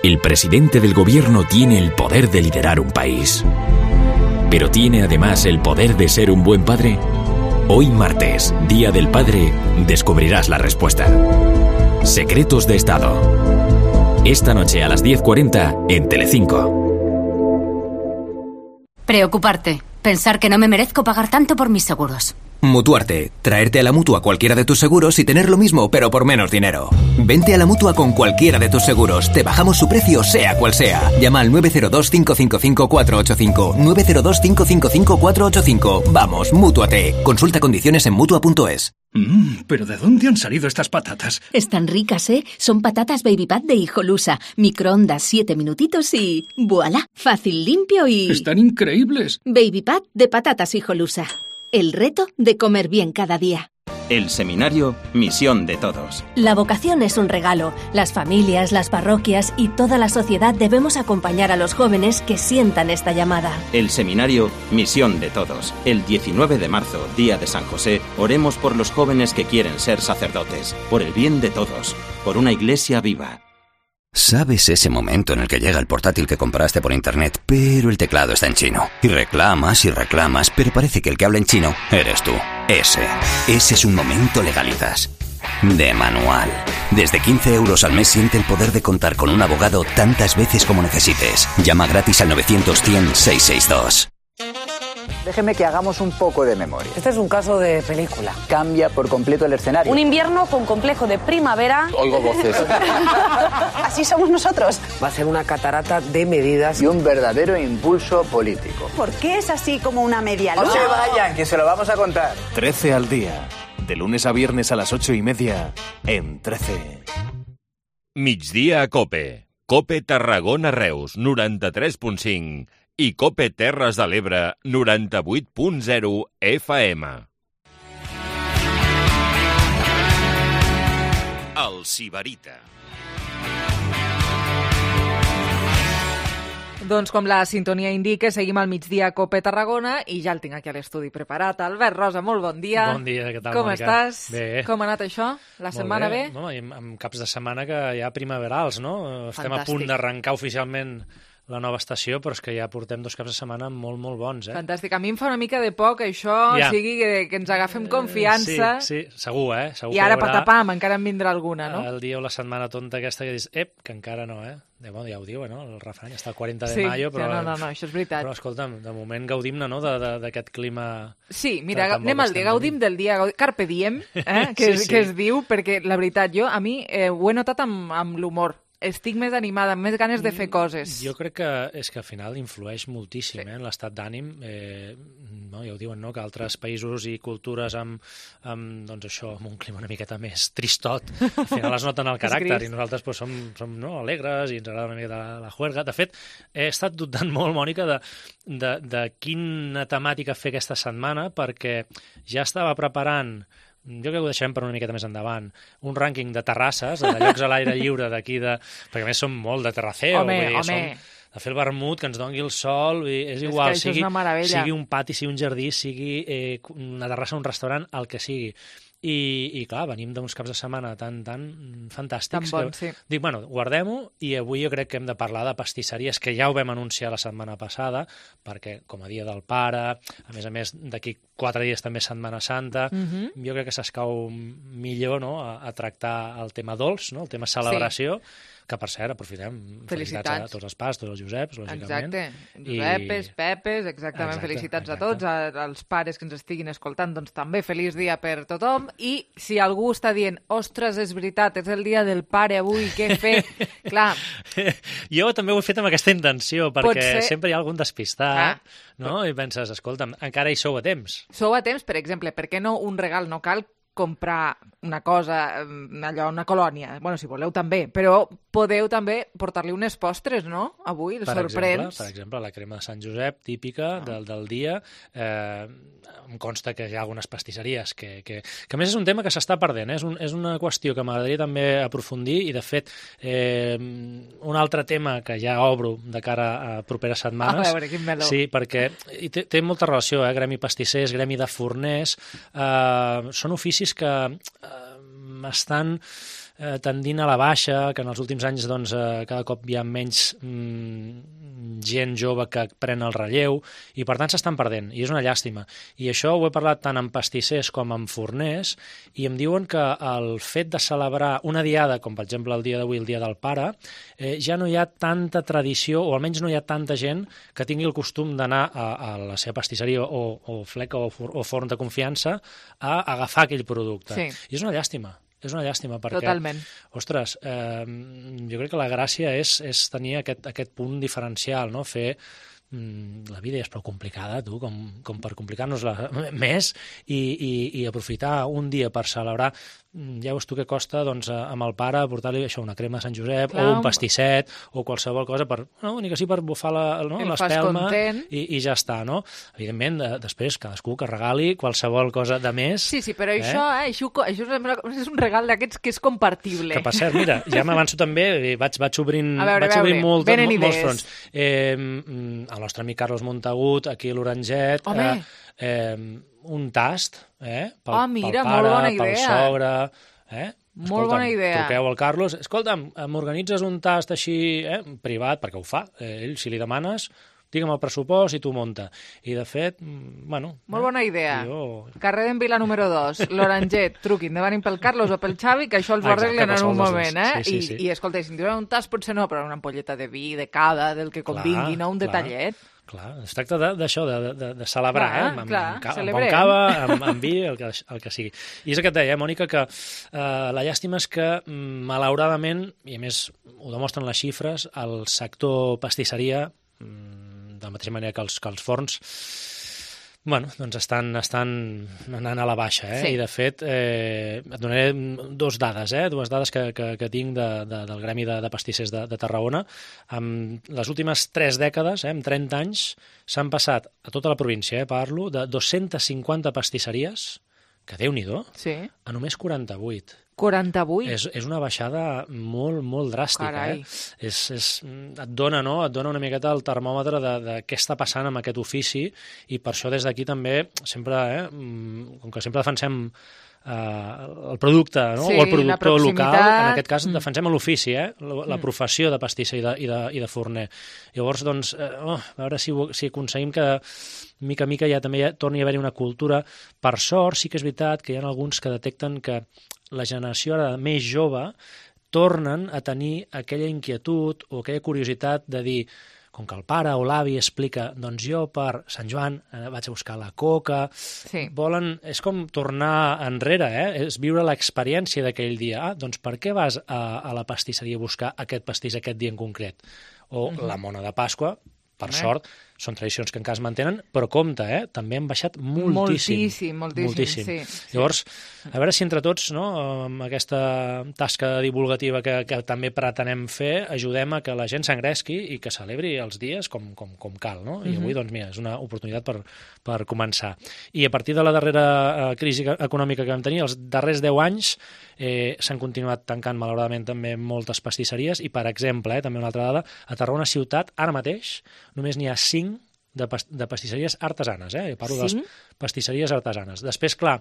El presidente del gobierno tiene el poder de liderar un país. Pero tiene además el poder de ser un buen padre. Hoy martes, Día del Padre, descubrirás la respuesta. Secretos de Estado. Esta noche a las diez cuarenta en Telecinco.
Preocuparte. Pensar que no me merezco pagar tanto por mis seguros.
Mutuarte. Traerte a la Mutua cualquiera de tus seguros y tener lo mismo, pero por menos dinero. Vente a la Mutua con cualquiera de tus seguros. Te bajamos su precio, sea cual sea. Llama al nueve cero dos, cinco cinco cinco, cuatro ocho cinco. nueve cero dos, cinco cinco cinco, cuatro ocho cinco. Vamos, Mútuate. Consulta condiciones en mutua punto es.
Mmm, ¿pero de dónde han salido estas patatas?
Están ricas, ¿eh? Son patatas Baby Pat de Hijolusa. Microondas siete minutitos y... ¡Voilá! Fácil, limpio y...
¡Están increíbles!
Baby Pat de patatas Hijolusa. El reto de comer bien cada día.
El seminario Misión de Todos.
La vocación es un regalo. Las familias, las parroquias y toda la sociedad debemos acompañar a los jóvenes que sientan esta llamada.
El seminario Misión de Todos. El diecinueve de marzo, día de San José, oremos por los jóvenes que quieren ser sacerdotes, por el bien de todos, por una iglesia viva.
¿Sabes ese momento en el que llega el portátil que compraste por internet, pero el teclado está en chino? Y reclamas y reclamas, pero parece que el que habla en chino eres tú. Ese. Ese es un momento Legalitas. De manual. Desde quince euros al mes siente el poder de contar con un abogado tantas veces como necesites. Llama gratis al novecientos, cien, seiscientos sesenta y dos.
Déjeme que hagamos un poco de memoria.
Este es un caso de película.
Cambia por completo el escenario.
Un invierno con complejo de primavera.
Oigo voces.
Así somos nosotros.
Va a ser una catarata de medidas y un verdadero impulso político.
¿Por qué es así como una media
No
luna?
se vayan, que se lo vamos a contar.
trece al día. De lunes a viernes a las ocho y media en trece.
Migdia a COPE. COPE Tarragona Reus, noranta-tres punt cinc. I COPE Terres de l'Ebre, noranta-vuit punt zero F M. El Sibarita.
Doncs com la sintonia indica, seguim al migdia a COPE Tarragona i ja el tinc aquí a l'estudi preparat. Albert Rosa, molt bon dia.
Bon dia, què tal,
Com
Mònica?
estàs?
Bé.
Com ha anat això? La
Molt
setmana bé?
No, i amb, amb caps de setmana que ja primaverals, no? Estem a
Fantàstic.
punt d'arrencar oficialment la nova estació, però és que ja portem dos caps de setmana molt, molt bons, eh?
Fantàstic. A mi em fa una mica de por que això
Ja.
sigui que, que ens agafem confiança.
Sí, sí, segur, eh? Segur
I ara
que hi haurà
patapam, encara en vindrà alguna, no?
El dia o la setmana tonta aquesta que dius, ep, que encara no, eh? De, bueno, ja ho diu, eh, no? El refrany està el quaranta de
Sí,
maio, però...
sí, no, no, no, això és veritat.
Però, escolta'm, de moment gaudim-ne, no?, de- de- d'aquest clima...
Sí, mira,
tan- tan bo
anem
que
al dia,
estem
gaudim del dia, gaudi- carpe diem, eh? que,
Sí,
es,
sí.
que es diu, perquè la veritat, jo a mi eh, ho he notat amb, amb l'humor. Estic més animada, amb més ganes de fer coses.
Jo crec que és que al final influeix moltíssim eh, en l'estat d'ànim. Eh, no, ja ho diuen, no?, que altres països i cultures amb, amb, doncs això, amb un clima una miqueta més tristot, al final es noten el
És
caràcter
gris.
i nosaltres doncs, som, som no, alegres i ens agrada una mica la, la juerga. De fet, he estat dubtant molt, Mònica, de, de, de quina temàtica fer aquesta setmana, perquè ja estava preparant, jo crec que ho deixarem per una miqueta més endavant, un rànquing de terrasses, de llocs a l'aire lliure d'aquí, de... perquè a més som molt de terraceo,
Home,
vull dir,
home.
som de fer el vermut, que ens doni el sol, i és
És
igual,
que això és
sigui,
una meravella.
sigui un pati, sigui un jardí, sigui eh, una terrassa, un restaurant, el que sigui. i, i clar, venim d'uns caps de setmana tan, tan fantàstics.
Tan bon,
que,
sí.
Dic, bueno, guardem-ho, i avui jo crec que hem de parlar de pastisseries, que ja ho vam anunciar la setmana passada, perquè com a dia del pare, a més a més d'aquí quatre dies també Setmana Santa,
Mhm.
jo crec que s'escau millor, no?, a, a tractar el tema dolç, no?, el tema celebració, sí. Que, per cert, aprofitem.
Felicitats.
Felicitats a tots els pares, tots els Joseps, lògicament.
Exacte. Josepes, Pepes, exactament.
Exacte,
Felicitats
exacte.
a tots, a, als pares que ens estiguin escoltant, doncs també feliç dia per tothom. I si algú està dient, ostres, és veritat, és el dia del pare avui, què fer? Clar.
Jo també ho he fet amb aquesta intenció, perquè
ser...
sempre hi ha algun despistat,
ah.
no? I penses, escolta'm, encara hi sou a temps.
Sou a temps, per exemple, per què no un regal? No cal comprar una cosa, allò, una colònia. Bueno, si voleu també, però podeu també portar-li unes postres, no? Avui, el
per
sorprens.
Exemple, per exemple, la crema de Sant Josep, típica ah. del, del dia. Eh, em consta que hi ha algunes pastisseries que, que, que a més és un tema que s'està perdent, eh? és, un, és una qüestió que m'agradaria també aprofundir, i de fet eh, un altre tema que ja obro de cara a properes setmanes.
A veure, quin meló.
Sí, perquè i té, té molta relació, eh? Gremi pastissers, gremi de forners, eh, són oficis que eh, estan eh, tendint a la baixa, que en els últims anys doncs, eh, cada cop hi ha menys mm, gent jove que pren el relleu, i per tant s'estan perdent, i és una llàstima. I això ho he parlat tant amb pastissers com amb forners, i em diuen que el fet de celebrar una diada, com per exemple el dia d'avui, el dia del pare, eh, ja no hi ha tanta tradició, o almenys no hi ha tanta gent que tingui el costum d'anar a, a la seva pastisseria o, o fleca o, for, o forn de confiança a agafar aquell producte.
Sí.
I és una llàstima. És una llàstima, perquè,
Totalment.
ostres, eh, jo crec que la gràcia és, és tenir aquest, aquest punt diferencial, no? Fer... Mm, la vida és prou complicada, tu, com, com per complicar-nos-la més, i, i, i aprofitar un dia per celebrar. Ja veus tu què costa, doncs, amb el pare portar-li això, una crema de Sant Josep, Clar, o un pastisset, o qualsevol cosa, per, no, ni que sí per bufar
no,
l'espelma, i, i ja està, no? Evidentment, de, després, cadascú que regali qualsevol cosa de més.
Sí, sí, però
eh?
això, eh, això, això és un regal d'aquests que és compartible.
Que, per cert, mira, ja m'avanço també, vaig, vaig obrint,
a veure,
vaig obrint molt,
molt,
molts fronts. Eh, el nostre amic Carlos Montagut, aquí a l'Oranget, eh, eh, un tast, eh, pel,
oh, mira,
pel pare,
bona idea.
pel sogre... Eh?
Molt
Escolta'm,
bona idea.
Truqueu al Carlos. Escolta'm, m'organitzes un tast així, eh, privat, perquè ho fa. Eh, ell, si li demanes, digue'm el pressupost i tu munta. I, de fet, bueno...
Molt
eh,
bona idea.
Jo...
Carrer d'en Vila número dos, l'Oranget, truquin, demanin pel Carlos o pel Xavi, que això els ho arreglen en un moment, eh?
Sí, sí, sí.
I, I, escolta, si em diuen un tas, potser no, però una ampolleta de vi, de cava, del que convingui, no? Un
clar.
detallet.
Clar, es tracta d'això, de, de, de, de celebrar,
clar,
eh? Amb,
clar,
amb, amb, amb
celebrem.
bon cava, amb, amb vi, el que, el que sigui. I és el que et deia, Mònica, que eh, la llàstima és que, malauradament, i a més ho demostren les xifres, el sector pastisseria, de la mateixa manera que els, que els forns, bueno, doncs estan, estan anant a la baixa, eh?
Sí.
I de fet, eh, et donaré dos dades, eh? dues dades que, que, que tinc de, de, del Gremi de, de Pastissers de, de Tarragona. En les últimes tres dècades, eh, en trenta anys, s'han passat a tota la província, eh, parlo, de dos-centes cinquanta pastisseries, que Déu-n'hi-do, sí. a només quaranta-vuit.
quaranta-vuit?
És, és una baixada molt, molt dràstica.
Carai.
Eh? És, és, et dona, no? Et dona una miqueta el termòmetre de, de què està passant amb aquest ofici, i per això des d'aquí també, sempre, eh, com que sempre defensem Uh, el producte, no?
Sí,
o el productor local, en aquest cas
mm.
defensem l'ofici, eh? la, la professió de pastisser i de, i de, i de forner. Llavors, doncs, eh, oh, a veure si, si aconseguim que mica a mica ja també ja torni a haver-hi una cultura. Per sort, sí que és veritat que hi ha alguns que detecten que la generació ara més jove tornen a tenir aquella inquietud o aquella curiositat de dir, com que el pare o l'avi explica, doncs jo per Sant Joan eh, vaig a buscar la coca, sí. volen, és com tornar enrere, eh? És viure l'experiència d'aquell dia. Ah, doncs per què vas a, a la pastisseria a buscar aquest pastís aquest dia en concret? O mm-hmm. la mona de Pasqua, per eh. sort, són tradicions que encara es mantenen, però compte, eh? també han baixat moltíssim.
Moltíssim, moltíssim, moltíssim. Sí, sí.
Llavors, a veure si entre tots, no, amb aquesta tasca divulgativa que, que també pretenem fer, ajudem a que la gent s'engresqui i que celebri els dies com, com, com cal. No? I avui, doncs, mira, és una oportunitat per, per començar. I a partir de la darrera eh, crisi econòmica que vam tenir, els darrers deu anys, eh, s'han continuat tancant, malauradament, també moltes pastisseries, i, per exemple, eh, també una altra dada, a Tarragona ciutat, ara mateix, només n'hi ha cinc de, pas de pastisseries artesanes, eh? Parlo de les pastisseries artesanes. Després, clar,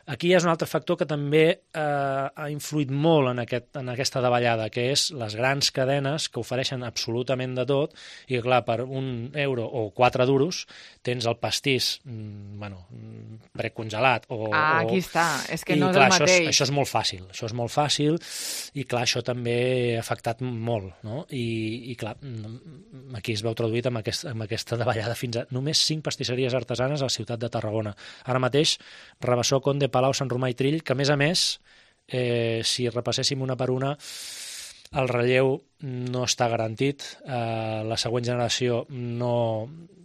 aquí hi ha un altre factor que també eh, ha influït molt en, aquest, en aquesta davallada, que és les grans cadenes que ofereixen absolutament de tot i que, clar, per un euro o quatre duros tens el pastís mm, bueno, precongelat. O,
ah,
o...
aquí està. És que
I,
no és
clar,
el mateix.
Això és, això és molt fàcil. Això és molt fàcil i, clar, això també ha afectat molt, no? I, i clar, aquí es veu traduït amb, aquest, amb aquesta davallada fins a només cinc pastisseries artesanes a la ciutat de Tarragona. Ara mateix, Rabassó, Conde, Palau, Sant Romà i Trill, que a més a més, eh, si repasséssim una per una, el relleu no està garantit, eh, la següent generació no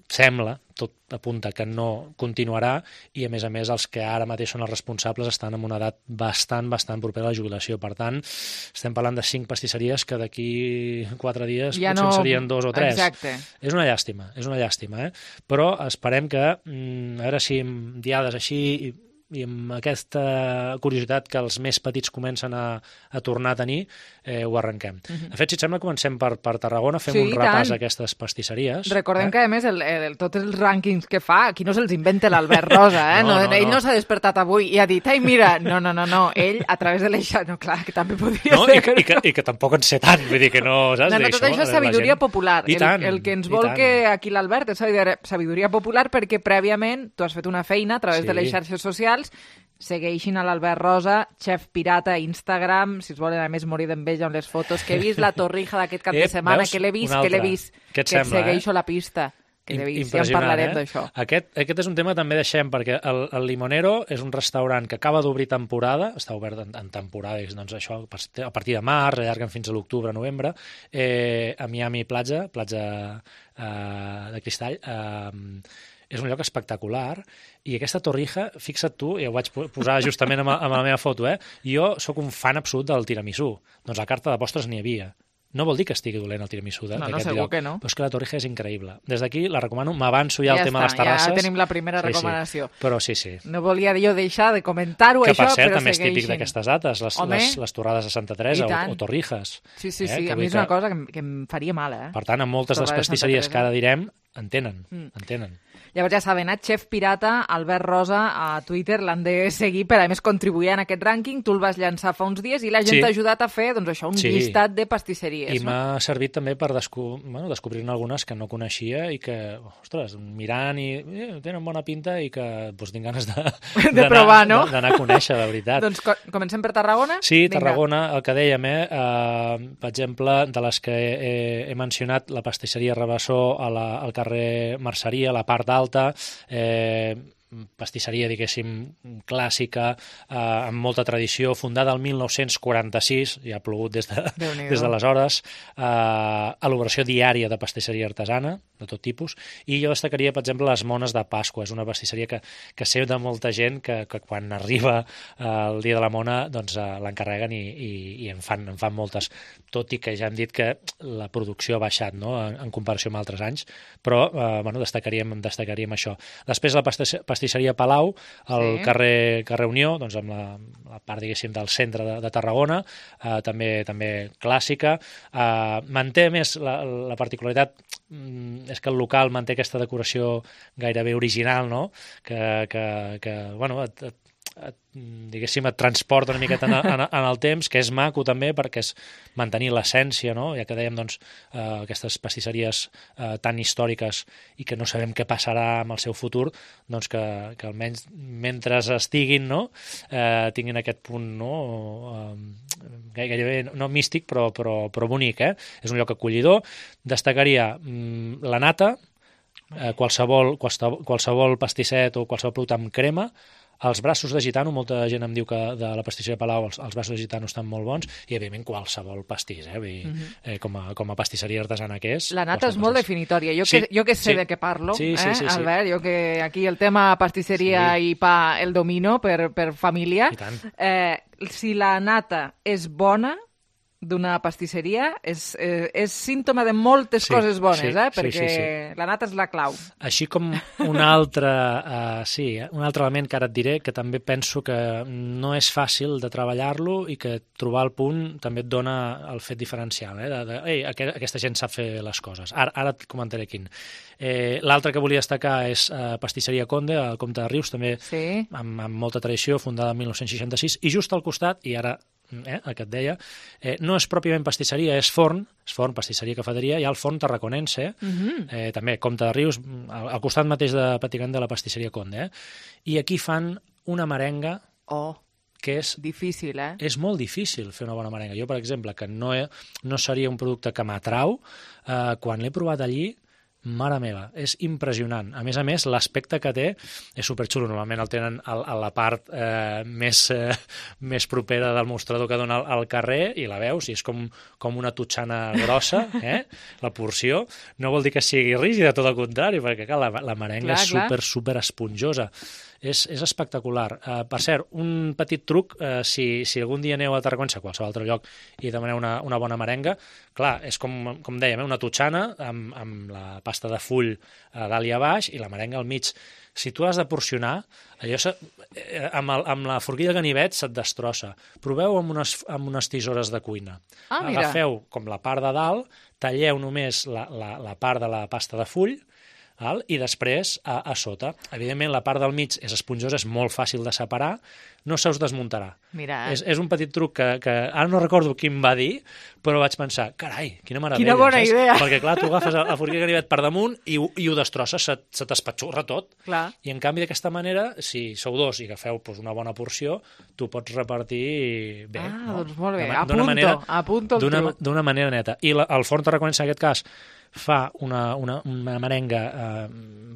sembla, tot apunta que no continuarà i a més a més els que ara mateix són els responsables estan en una edat bastant, bastant propera a la jubilació. Per tant, estem parlant de cinc pastisseries que d'aquí quatre dies
ja
potser
no...
serien dos o tres.
Exacte.
És una llàstima, és una llàstima, eh? Però esperem que, mm, a veure si amb diades així i i amb aquesta curiositat que els més petits comencen a, a tornar a tenir, eh, ho arrenquem. Uh-huh. De fet, si et sembla, comencem per, per Tarragona, fem
sí,
un repàs
tant.
a aquestes pastisseries.
Recordem
eh?
que, a més, el, el, tots els rànquings que fa, aquí no se'ls inventa l'Albert Rosa, eh? no, no, no, ell no, no s'ha despertat avui i ha dit, ai, mira, no, no, no, no, ell, a través de l'Eixà, no, clar, que també podria
no,
ser...
I, que, i, que, I que tampoc en sé tant, vull dir que no, saps?
No, no, tot això és sabidoria popular.
I tant,
el, el que ens vol que aquí l'Albert és sabidoria popular perquè prèviament tu has fet una feina a través sí. de les xarxes socials. Segueixin a l'Albert Rosa, Chef Pirata a Instagram, si es volen a més morir d'enveja amb les fotos, que he vist la torrija d'aquest cap
eh,
de setmana,
veus?
que l'he vist, que l'he vist, que et
sembla,
segueixo
eh?
la pista, que l'he vist, ja en parlarem
eh?
d'això.
Aquest, aquest és un tema també deixem, perquè el, el Limonero és un restaurant que acaba d'obrir temporada, està obert en, en temporada, doncs això a partir de març, allarguen fins a l'octubre, novembre, eh, a Miami Platja, platja eh, de Cristall, eh, és un lloc espectacular i aquesta torrija, fixa't tu, i ho vaig posar justament amb, amb la meva foto, eh? Jo sóc un fan absolut del tiramisú. Doncs la carta de postres n'hi havia. No vol dir que estigui dolent el tiramisú d'aquest
no, no, segur
lloc,
que no.
però és que la torrija és increïble. Des d'aquí la recomano, m'avanço ja, ja al tema
està,
de les terrasses.
Ja tenim la primera
sí,
recomanació.
Sí, però sí, sí.
No volia jo deixar de comentar-ho,
que,
això,
per cert,
però
també és típic d'aquestes dates, les, les, les torrades de Santa Teresa o, o torrijas.
Sí, sí,
eh?
sí,
que
a mi és una cosa que, que em faria mal, eh?
Per tant, en moltes de les pastisseries que ara direm, en tenen, mm. en tenen.
Llavors ja saben, eh? Chef Pirata, Albert Rosa, a Twitter, l'han de seguir per, a més, contribuir en aquest rànquing. Tu el vas llançar fa uns dies i la gent sí. t'ha ajudat a fer, doncs això, un sí. llistat de pastisseries.
I
no?
m'ha servit també per desco bueno, descobrir-ne algunes que no coneixia i que, ostres, mirant i eh, tenen bona pinta i que doncs, tinc ganes de,
de provar, no?
D'anar a conèixer, de veritat.
Doncs co comencem per Tarragona?
Sí,
Vinga.
Tarragona, el que dèiem, eh? Uh, per exemple, de les que he, he mencionat, la pastisseria Rabassó a la, al carrer Merceria, a la part alta, eh, pastisseria, diguéssim, clàssica, eh, amb molta tradició, fundada el mil nou-cents quaranta-sis, ja ha plogut des de, des d'aleshores, eh, elaboració diària de pastisseria artesana, de tot tipus, i jo destacaria, per exemple, les mones de Pasqua. És una pastisseria que, que sé de molta gent que, que quan arriba eh, el dia de la mona doncs, eh, l'encarreguen i, i, i en, fan, en fan moltes, tot i que ja hem dit que la producció ha baixat, no?, en, en comparació amb altres anys, però eh, bueno, destacaríem, destacaríem això. Després la pastisseria pastisseria Palau, al sí. carrer, carrer Unió, doncs amb la, la part, diguéssim, del centre de, de Tarragona, eh, també també clàssica. Eh, manté més la, la particularitat, mm, és que el local manté aquesta decoració gairebé original, no?, que, que, que bueno, et, et, et, diguéssim, et transporta una miqueta en, en, en el temps, que és maco també perquè és mantenir l'essència, no?, ja que dèiem, doncs, eh, aquestes pastisseries eh, tan històriques i que no sabem què passarà amb el seu futur, doncs que, que almenys mentre estiguin, no?, eh, tinguin aquest punt, no?, eh, gairebé no místic, però, però, però bonic, eh? És un lloc acollidor. Destacaria mm, la nata, eh, qualsevol, qualsevol, qualsevol pastisset o qualsevol producte amb crema, els braços de gitano, molta gent em diu que de la pastisseria Palau els, els braços de gitano estan molt bons, i evidentment qualsevol pastís, eh? Vull dir, uh-huh. eh, com, a, com a pastisseria artesana que és.
La nata és molt definitòria. Jo, sí, que, jo que sé sí. de què parlo,
sí, sí,
eh,
sí, sí,
Albert, jo que aquí el tema pastisseria sí. i pa el domino per, per família.
I tant.
Eh, si la nata és bona, d'una pastisseria és, eh, és símptoma de moltes
Sí,
coses bones,
sí,
eh?
sí,
Perquè
sí, sí.
la nata és la clau.
Així com un altre, uh, sí, un altre element que ara et diré, que també penso que no és fàcil de treballar-lo i que trobar el punt també et dona el fet diferencial, eh? de, de, ei, aquest, aquesta gent sap fer les coses. Ara, ara et comentaré quin. Eh, L'altre que volia destacar és uh, Pastisseria Conde, al Comte de Rius, també
sí.
amb, amb molta tradició, fundada el mil nou-cents seixanta-sis, i just al costat, i ara Eh, el que et deia, eh, no és pròpiament pastisseria, és forn, és forn, pastisseria, cafeteria, hi ha el forn tarraconense,
Mhm.
eh, també Comte de Rius, al, al costat mateix de Patigant de la pastisseria Conde, eh? I aquí fan una merenga
oh,
que és...
difícil, eh?
És molt difícil fer una bona merenga. Jo, per exemple, que no, he, no seria un producte que m'atrau, eh, quan l'he provat allí, mare meva, és impressionant. A més a més, l'aspecte que té és superxulo. Normalment el tenen a, a la part eh, més, eh, més propera del mostrador que dona al, al carrer i la veus i és com, com una totxana grossa, eh? La porció. No vol dir que sigui rígida, tot el contrari, perquè clar, la, la merenga
Clar,
és
clar.
super, super esponjosa. És, és espectacular. Uh, per cert, un petit truc, uh, si, si algun dia aneu a Tarragona, a qualsevol altre lloc, i demaneu una, una bona merenga, clar, és com, com dèiem, eh, una totxana amb, amb la pasta de full uh, dalt i a baix i la merenga al mig. Si tu has de porcionar, allò se, eh, amb, el, amb la forquilla de ganivet se't destrossa. Proveu amb unes, amb unes tisores de cuina.
Ah, mira.
Agafeu com la part de dalt, talleu només la, la, la part de la pasta de full, val? I després a, a sota. Evidentment, la part del mig és esponjosa, és molt fàcil de separar, no se us desmuntarà.
Mira,
És, és un petit truc que, que ara no recordo qui em va dir, però vaig pensar, carai, quina meravella.
Quina bona
saps?
idea.
Perquè, clar, tu agafes el forquilla de ganivet per damunt i, ho- i ho destrosses, se, se t'espatxurra tot.
Clar.
I, en canvi, d'aquesta manera, si sou dos i agafeu doncs, una bona porció, tu pots repartir bé.
Ah,
no?
doncs molt bé.
D'una-
Apunto,
d'una manera-
apunto el
d'una-
truc.
D'una manera neta. I la, el forn tarraconense, en aquest cas, fa una, una, una merenga eh,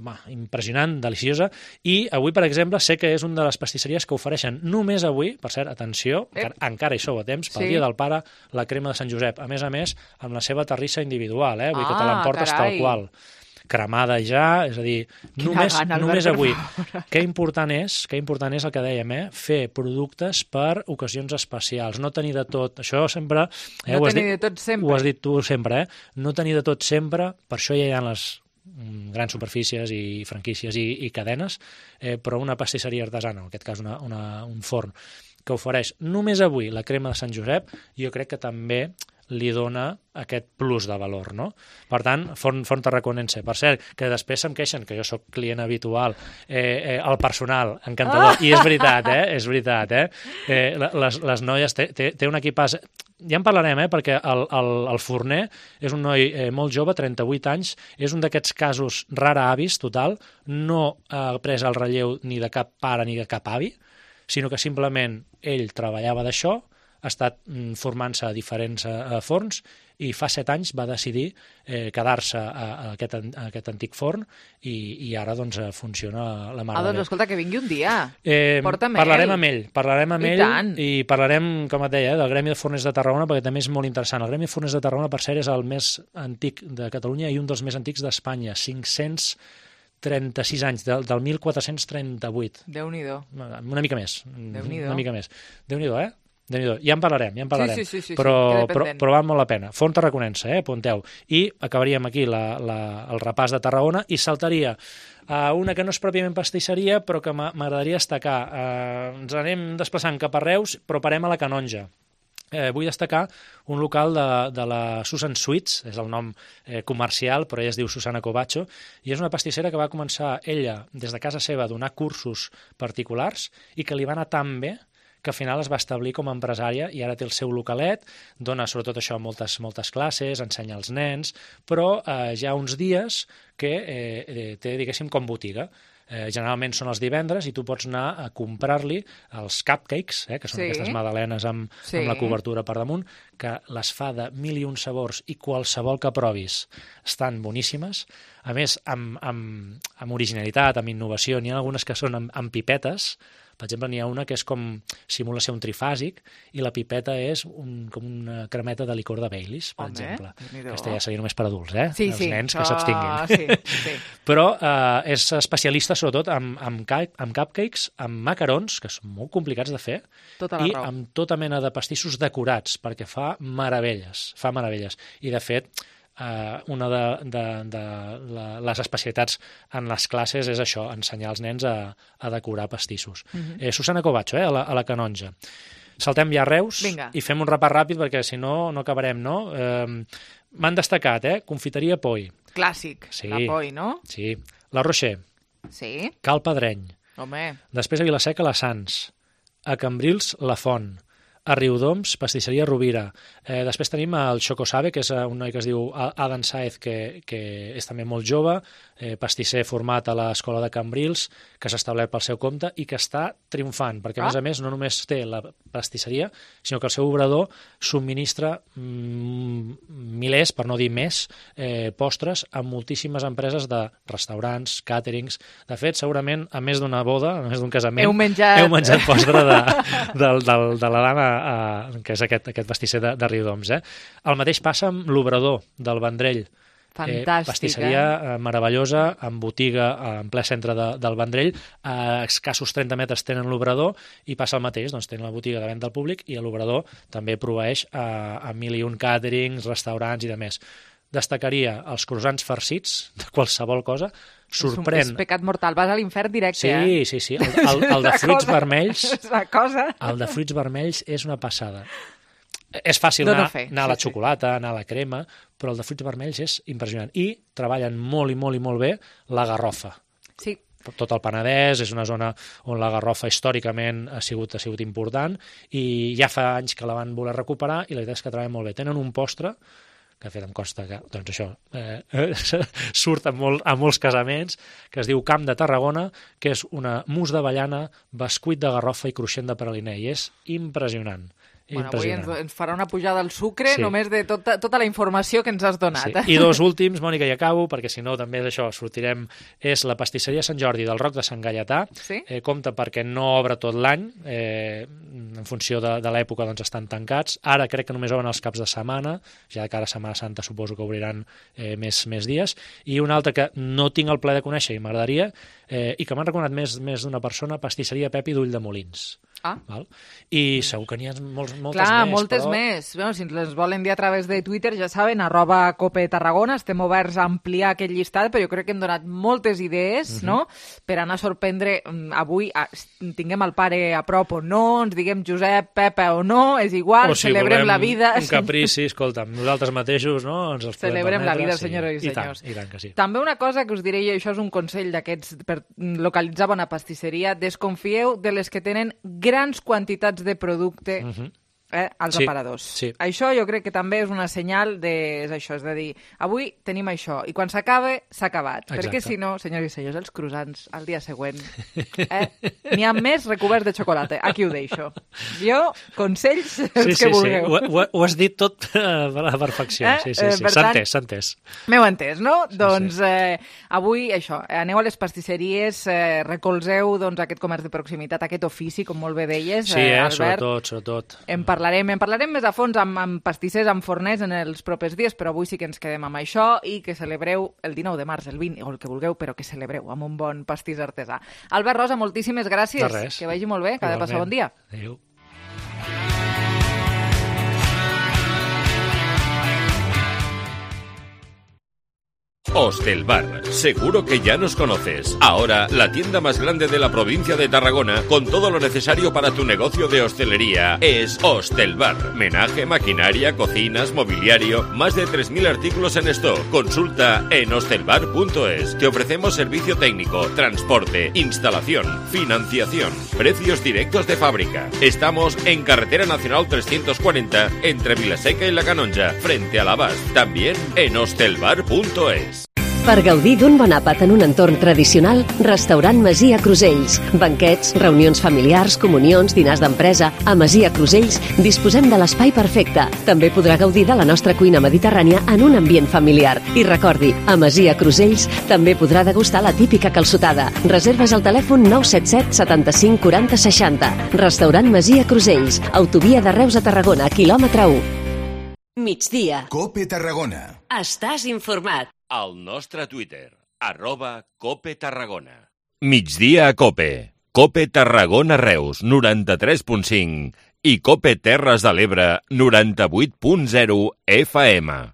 va, impressionant, deliciosa, i avui, per exemple, sé que és una de les pastisseries que ofereixen només avui, per cert, atenció, encara, encara hi sou a temps, pel
Sí.
Dia del Pare, la crema de Sant Josep. A més a més, amb la seva terrissa individual, eh? Vull dir que te
Ah,
l'emportes
carai.
tal qual. Cremada ja, és a dir,
Quina
només,
gana, Albert,
només
per
avui.
favor.
Que important és, que important és el que dèiem, eh? Fer productes per ocasions especials, no tenir de tot. Això sempre... Eh,
No
ho has
tenir
dit-
de tot sempre.
Ho has dit tu sempre, eh? No tenir de tot sempre, per això ja hi ha les mm, grans superfícies i franquícies i, i cadenes, eh, però una pastisseria artesana, en aquest cas una, una, un forn, que ofereix només avui la crema de Sant Josep, jo crec que també li dona aquest plus de valor, no? Per tant, forn, forn tarraconense. Per cert, que després se'm queixen, que jo sóc client habitual, eh, eh, el personal, encantador,
Ah!
i és veritat, eh? És veritat, eh? eh les, les noies, té, té, té un equipàs... Ja en parlarem, eh? Perquè el, el, el forner és un noi eh, molt jove, trenta-vuit anys, és un d'aquests casos rara avis, total, no ha pres el relleu ni de cap pare ni de cap avi, sinó que simplement ell treballava d'això, ha estat mm, formant-se a diferents eh, forns i fa set anys va decidir eh, quedar-se a, a, aquest, an- a aquest antic forn i, i ara doncs eh, funciona la mare
Ah,
de
doncs
Déu.
escolta, que vingui un dia.
Eh,
Porta'm
parlarem
ell.
amb ell, parlarem amb
I
ell
tant.
i parlarem, com et deia, eh, del Gremi de Forners de Tarragona, perquè també és molt interessant. El Gremi de Forners de Tarragona, per cert, és el més antic de Catalunya i un dels més antics d'Espanya, cinc-cents trenta-sis anys, del, del mil quatre-cents trenta-vuit.
Déu-n'hi-do.
Una mica més.
Déu-n'hi-do.
Una mica més. Déu-n'hi-do, eh? Déu-n'hi-do. Ja en parlarem, ja en parlarem.
Sí, sí, sí, sí,
però,
sí, queda
però,
pendent.
però val molt la pena. Font tarraconense, eh? Apunteu. I acabaríem aquí la, la, el repàs de Tarragona i saltaria a una que no és pròpiament pastisseria, però que m'a- m'agradaria destacar. Eh, ens anem desplaçant cap a Reus, però parem a la Canonja. Eh, vull destacar un local de, de la Susan Sweets, és el nom eh, comercial, però ella es diu Susana Covacho, i és una pastissera que va començar ella des de casa seva a donar cursos particulars i que li va anar tan bé que al final es va establir com a empresària i ara té el seu localet, dona sobretot això moltes, moltes classes, ensenya als nens, però eh, ja uns dies que eh, eh, té, diguéssim, com botiga. Eh, generalment són els divendres i tu pots anar a comprar-li els cupcakes, eh, que són
Sí.
aquestes magdalenes amb,
Sí.
amb la cobertura per damunt, que les fa de mil i un sabors i qualsevol que provis estan boníssimes. a més, amb, amb, amb originalitat, amb innovació. N'hi ha algunes que són amb, amb pipetes. Per exemple, n'hi ha una que és com simula ser un trifàsic i la pipeta és un, com una cremeta de licor de Baileys, per
Home,
exemple.
mira.
Aquesta ja seria només per adults, eh?
Sí,
Els
sí,
nens
això...
que s'abstinguin.
Sí, sí.
Però eh, és especialista sobretot amb, amb, ca- amb cupcakes, amb macarons, que són molt complicats de fer,
Tota la
i
raó.
amb tota mena de pastissos decorats, perquè fa meravelles, fa meravelles. I, de fet, Uh, una de, de, de la, les especialitats en les classes és això, ensenyar als nens a, a decorar pastissos.
Mhm.
eh, Susana Covacho, eh, a, la, a la Canonja. Saltem ja a Reus
Vinga.
i fem un repàs ràpid perquè si no, no acabarem, no? Eh, M'han destacat, eh? Confiteria Poi.
Clàssic,
Sí.
la Poi, no?
Sí. La Rocher.
Sí.
Cal Pedreny.
Home,
Després a Vilaseca, la Sants. A Cambrils, la Font. A Riudoms, pastisseria Rovira. Eh, després tenim el Choco Sabe, que és un noi que es diu Adam Saez, que, que és també molt jove, eh, pastisser format a l'escola de Cambrils, que s'ha establert pel seu compte i que està triomfant, perquè a
Ah.
més a més no només té la pastisseria, sinó que el seu obrador subministra mm, milers, per no dir més, eh, postres a moltíssimes empreses de restaurants, càterings. De fet, segurament, a més d'una boda, a més d'un casament,
Heu menjat-
heu menjat postre de, de, de, de la dama, eh, que és aquest, aquest pastisser de, de Riudoms. Eh? El mateix passa amb l'obrador del Vendrell.
Fantàstic,
eh? Pastisseria eh? meravellosa, amb botiga eh, en ple centre de, del Vendrell. A escassos trenta metres tenen l'obrador i passa el mateix, doncs tenen la botiga de venda al públic i l'obrador també proveeix a, a mil i un càterings, restaurants i de més. Destacaria els croissants farcits de qualsevol cosa. Sorprèn...
És, un, és pecat mortal, vas a l'infern directe,
Sí,
eh?
sí, sí. El, el, el de
La
fruits
cosa-
vermells...
La cosa...
El de fruits vermells és una passada. És fàcil
Dono
anar,
fe,
anar a la
sí, sí.
xocolata, anar a la crema, però el de fruits vermells és impressionant. I treballen molt i molt i molt bé la garrofa.
Sí.
Tot el Penedès és una zona on la garrofa històricament ha sigut, ha sigut important i ja fa anys que la van voler recuperar i la veritat és que treballen molt bé. Tenen un postre que de fet em consta que, doncs això, eh, surt a, molt, a molts casaments, que es diu Camp de Tarragona, que és una mousse d'avellana, bescuit de garrofa i cruixent de praliner, i és impressionant.
Bueno, avui ens, ens farà una pujada al sucre
Sí.
només de tota, tota la informació que ens has donat.
Sí. I dos últims, Mònica, i acabo, perquè si no també d'això sortirem, és la pastisseria Sant Jordi del Roc de Sant Gaietà.
Sí?
Eh, compta perquè no obre tot l'any, eh, en funció de, de l'època doncs estan tancats. Ara crec que només obren els caps de setmana, ja de cara a Setmana Santa suposo que obriran eh, més, més dies. I una altra que no tinc el plaer de conèixer i m'agradaria, eh, i que m'han recomanat més, més d'una persona, pastisseria Pepi d'Ull de Molins.
Ah.
Val? I segur que n'hi ha molts, moltes
Clar,
més.
moltes
però...
més. Bueno, si ens les volen dir a través de Twitter, ja saben, arroba Cope Tarragona, estem oberts a ampliar aquest llistat, però jo crec que hem donat moltes idees,
Mhm.
no?, per anar a sorprendre mm, avui, a, tinguem el pare a prop o no, ens diguem Josep, Pepa o no, és igual,
O si
celebrem
volem
la vida.
un caprici, escolta'm, nosaltres mateixos, no?, ens els podem
Celebrem la
permetre,
vida,
sí.
senyores i
I tant,
senyors.
I tant que sí.
També una cosa que us diré, i això és un consell d'aquests per localitzar bona pastisseria, desconfieu de les que tenen grans quantitats de producte
Mhm.
eh, als
Sí,
aparadors.
sí.
Això jo crec que també és una senyal de... És això, és de dir, avui tenim això, i quan s'acaba, s'ha acabat.
Exacte.
Perquè si no, senyors i senyors, els croissants al dia següent, eh, n'hi ha més recoberts de xocolata. Aquí ho deixo. Jo, consells, els
Sí,
que
sí, sí,
vulgueu.
ho, ho, ho has dit tot eh, a la perfecció.
Eh?
Sí, sí,
Eh,
sí,
per
s'ha
tant-
entès, s'ha entès.
M'heu entès, no? Sí, doncs sí. Eh, avui això, aneu a les pastisseries, eh, recolzeu doncs, aquest comerç de proximitat, aquest ofici, com molt bé deies,
Sí, eh,
Albert.
sobretot, sobretot.
En parlarem, en parlarem més a fons amb, amb pastissers, amb forners en els propers dies, però avui sí que ens quedem amb això i que celebreu el dinou de març, el vint, o el que vulgueu, però que celebreu amb un bon pastís artesà. Albert Rosa, moltíssimes gràcies.
De res.
Que vagi molt bé, que ha de passar bon dia.
Adéu.
Hostelbar, seguro que ya nos conoces. Ahora, la tienda más grande de la provincia de Tarragona, con todo lo necesario para tu negocio de hostelería, es Hostelbar. Menaje, maquinaria, cocinas, mobiliario, más de tres mil artículos en stock. Consulta en hostelbar punto es. Te ofrecemos servicio técnico, transporte, instalación, financiación, precios directos de fábrica. Estamos en Carretera Nacional trescientos cuarenta, entre Vilaseca y La Canonja, frente a la Bas. También en hostelbar punto es.
Per gaudir d'un bon àpat en un entorn tradicional, Restaurant Masia Crusells. Banquets, reunions familiars, comunions, dinars d'empresa. A Masia Crusells disposem de l'espai perfecte. També podrà gaudir de la nostra cuina mediterrània en un ambient familiar. I recordi, a Masia Crusells també podrà degustar la típica calçotada. Reserves al telèfon nou set set setanta-cinc quaranta seixanta. Restaurant Masia Crusells. Autovia de Reus a Tarragona, quilòmetre u.
Migdia.
Cope Tarragona.
Estàs informat.
Al nostre Twitter, arroba Cope Tarragona. Migdia a Cope. Cope Tarragona Reus, noranta-tres punt cinc i Cope Terres de l'Ebre, noranta-vuit punt zero F M.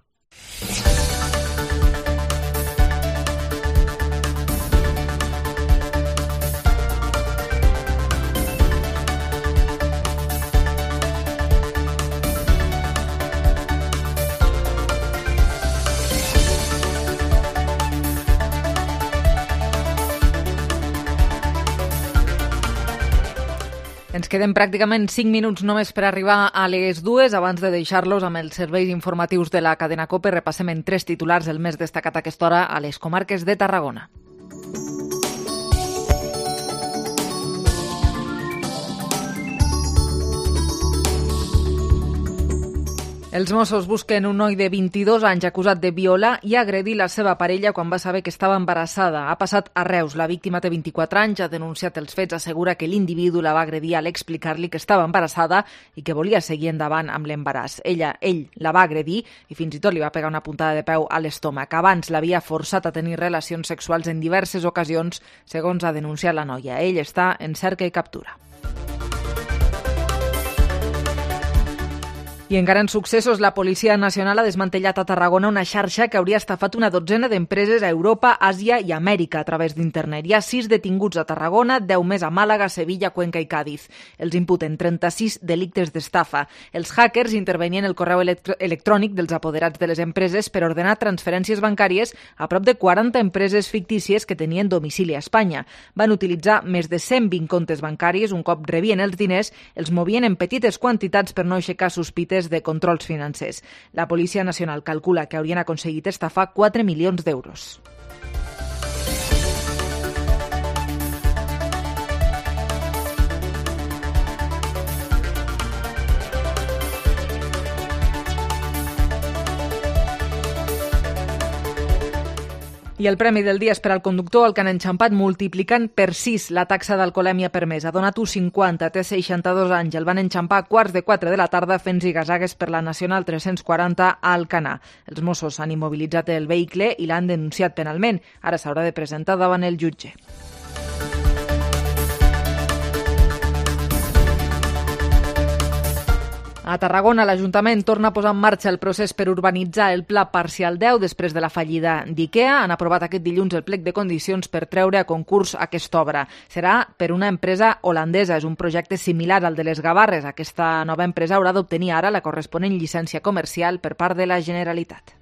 Ens queden pràcticament cinc minuts només per arribar a les dues. Abans de deixar-los amb els serveis informatius de la cadena COPE, repassem en tres titulars el més destacat a aquesta hora a les comarques de Tarragona. Els Mossos busquen un noi de vint-i-dos anys acusat de violar i agredir la seva parella quan va saber que estava embarassada. Ha passat a Reus. La víctima té vint-i-quatre anys, ha denunciat els fets, assegura que l'individu la va agredir a l'explicar-li que estava embarassada i que volia seguir endavant amb l'embaràs. Ella, ell, la va agredir i fins i tot li va pegar una puntada de peu a l'estómac. Abans l'havia forçat a tenir relacions sexuals en diverses ocasions, segons ha denunciat la noia. Ell està en cerca i captura. I encara en successos, la Policia Nacional ha desmantellat a Tarragona una xarxa que hauria estafat una dotzena d'empreses a Europa, Àsia i Amèrica a través d'internet. Hi ha sis detinguts a Tarragona, deu més a Màlaga, Sevilla, Cuenca i Càdiz. Els imputen trenta-sis delictes d'estafa. Els hackers intervenien el correu elect- electrònic dels apoderats de les empreses per ordenar transferències bancàries a prop de quaranta empreses fictícies que tenien domicili a Espanya. Van utilitzar més de cent vint comptes bancaris. Un cop rebien els diners, els movien en petites quantitats per no aixecar sospites de controls financers. La Policia Nacional calcula que haurien aconseguit estafar quatre milions d'euros. I el premi del dia és per al conductor, el que han enxampat multiplicant per sis la taxa d'alcoholèmia permesa. Donat-ho cinquanta, té seixanta-dos anys. El van enxampar a quarts de quatre de la tarda fent zigazagues per la Nacional tres-cents quaranta a Alcanar. Els Mossos han immobilitzat el vehicle i l'han denunciat penalment. Ara s'haurà de presentar davant el jutge. A Tarragona, l'Ajuntament torna a posar en marxa el procés per urbanitzar el Pla Parcial deu després de la fallida d'IKEA. Han aprovat aquest dilluns el plec de condicions per treure a concurs aquesta obra. Serà per una empresa holandesa. És un projecte similar al de les Gavarres. Aquesta nova empresa haurà d'obtenir ara la corresponent llicència comercial per part de la Generalitat.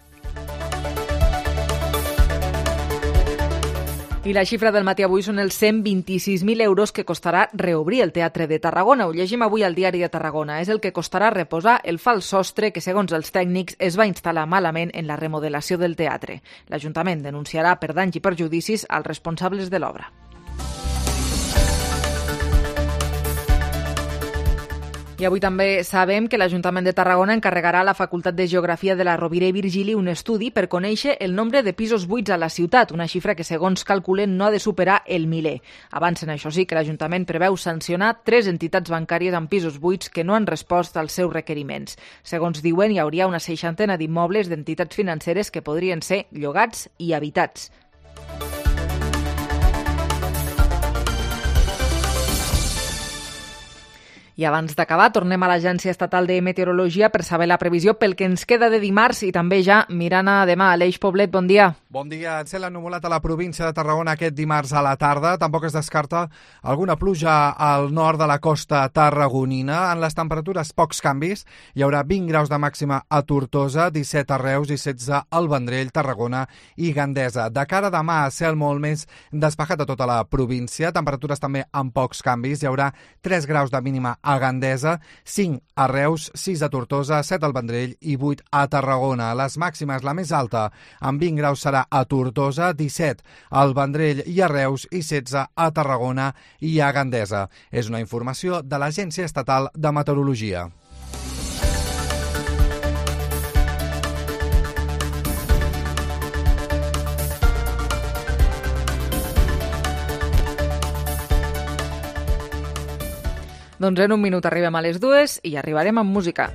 I la xifra del matí avui són els cent vint-i-sis mil euros que costarà reobrir el Teatre de Tarragona. Ho llegim avui al Diari de Tarragona. És el que costarà reposar el fals sostre que, segons els tècnics, es va instal·lar malament en la remodelació del teatre. L'Ajuntament denunciarà per danys i perjudicis als responsables de l'obra. I avui també sabem que l'Ajuntament de Tarragona encarregarà a la Facultat de Geografia de la Rovira i Virgili un estudi per conèixer el nombre de pisos buits a la ciutat, una xifra que, segons calculen, no ha de superar el miler. Avancen, això sí, que l'Ajuntament preveu sancionar tres entitats bancàries amb pisos buits que no han respost als seus requeriments. Segons diuen, hi hauria una seixantena d'immobles d'entitats financeres que podrien ser llogats i habitats. I abans d'acabar, tornem a l'Agència Estatal de Meteorologia per saber la previsió pel que ens queda de dimarts i també ja mirant a demà. Aleix Poblet, bon dia.
Bon dia. Cel ennuvolat a la província de Tarragona aquest dimarts a la tarda. Tampoc es descarta alguna pluja al nord de la costa tarragonina. En les temperatures, pocs canvis. Hi haurà vint graus de màxima a Tortosa, disset a Reus i setze al Vendrell, Tarragona i Gandesa. De cara a demà, cel molt més despejat a tota la província. Temperatures també amb pocs canvis. Hi haurà tres graus de mínima a Gandesa, cinc a Reus, sis a Tortosa, set al Vendrell i vuit a Tarragona. Les màximes, la més alta, amb vint graus serà a Tortosa, disset al Vendrell i a Reus i setze a Tarragona i a Gandesa. És una informació de l'Agència Estatal de Meteorologia.
Doncs en un minut arribem a les dues i arribarem amb música.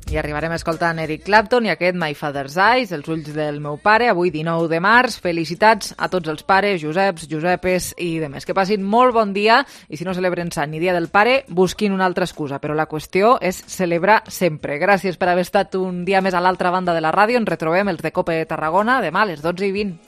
I arribarem escoltant Eric Clapton i aquest My Father's Eyes, els ulls del meu pare, avui dinou de març. Felicitats a tots els pares, Joseps, Josepes i demés. Que passin molt bon dia i si no celebren Sant ni Dia del Pare, busquin una altra excusa. Però la qüestió és celebrar sempre. Gràcies per haver estat un dia més a l'altra banda de la ràdio. Ens retrobem els de Cope Tarragona demà a les dotze i vint.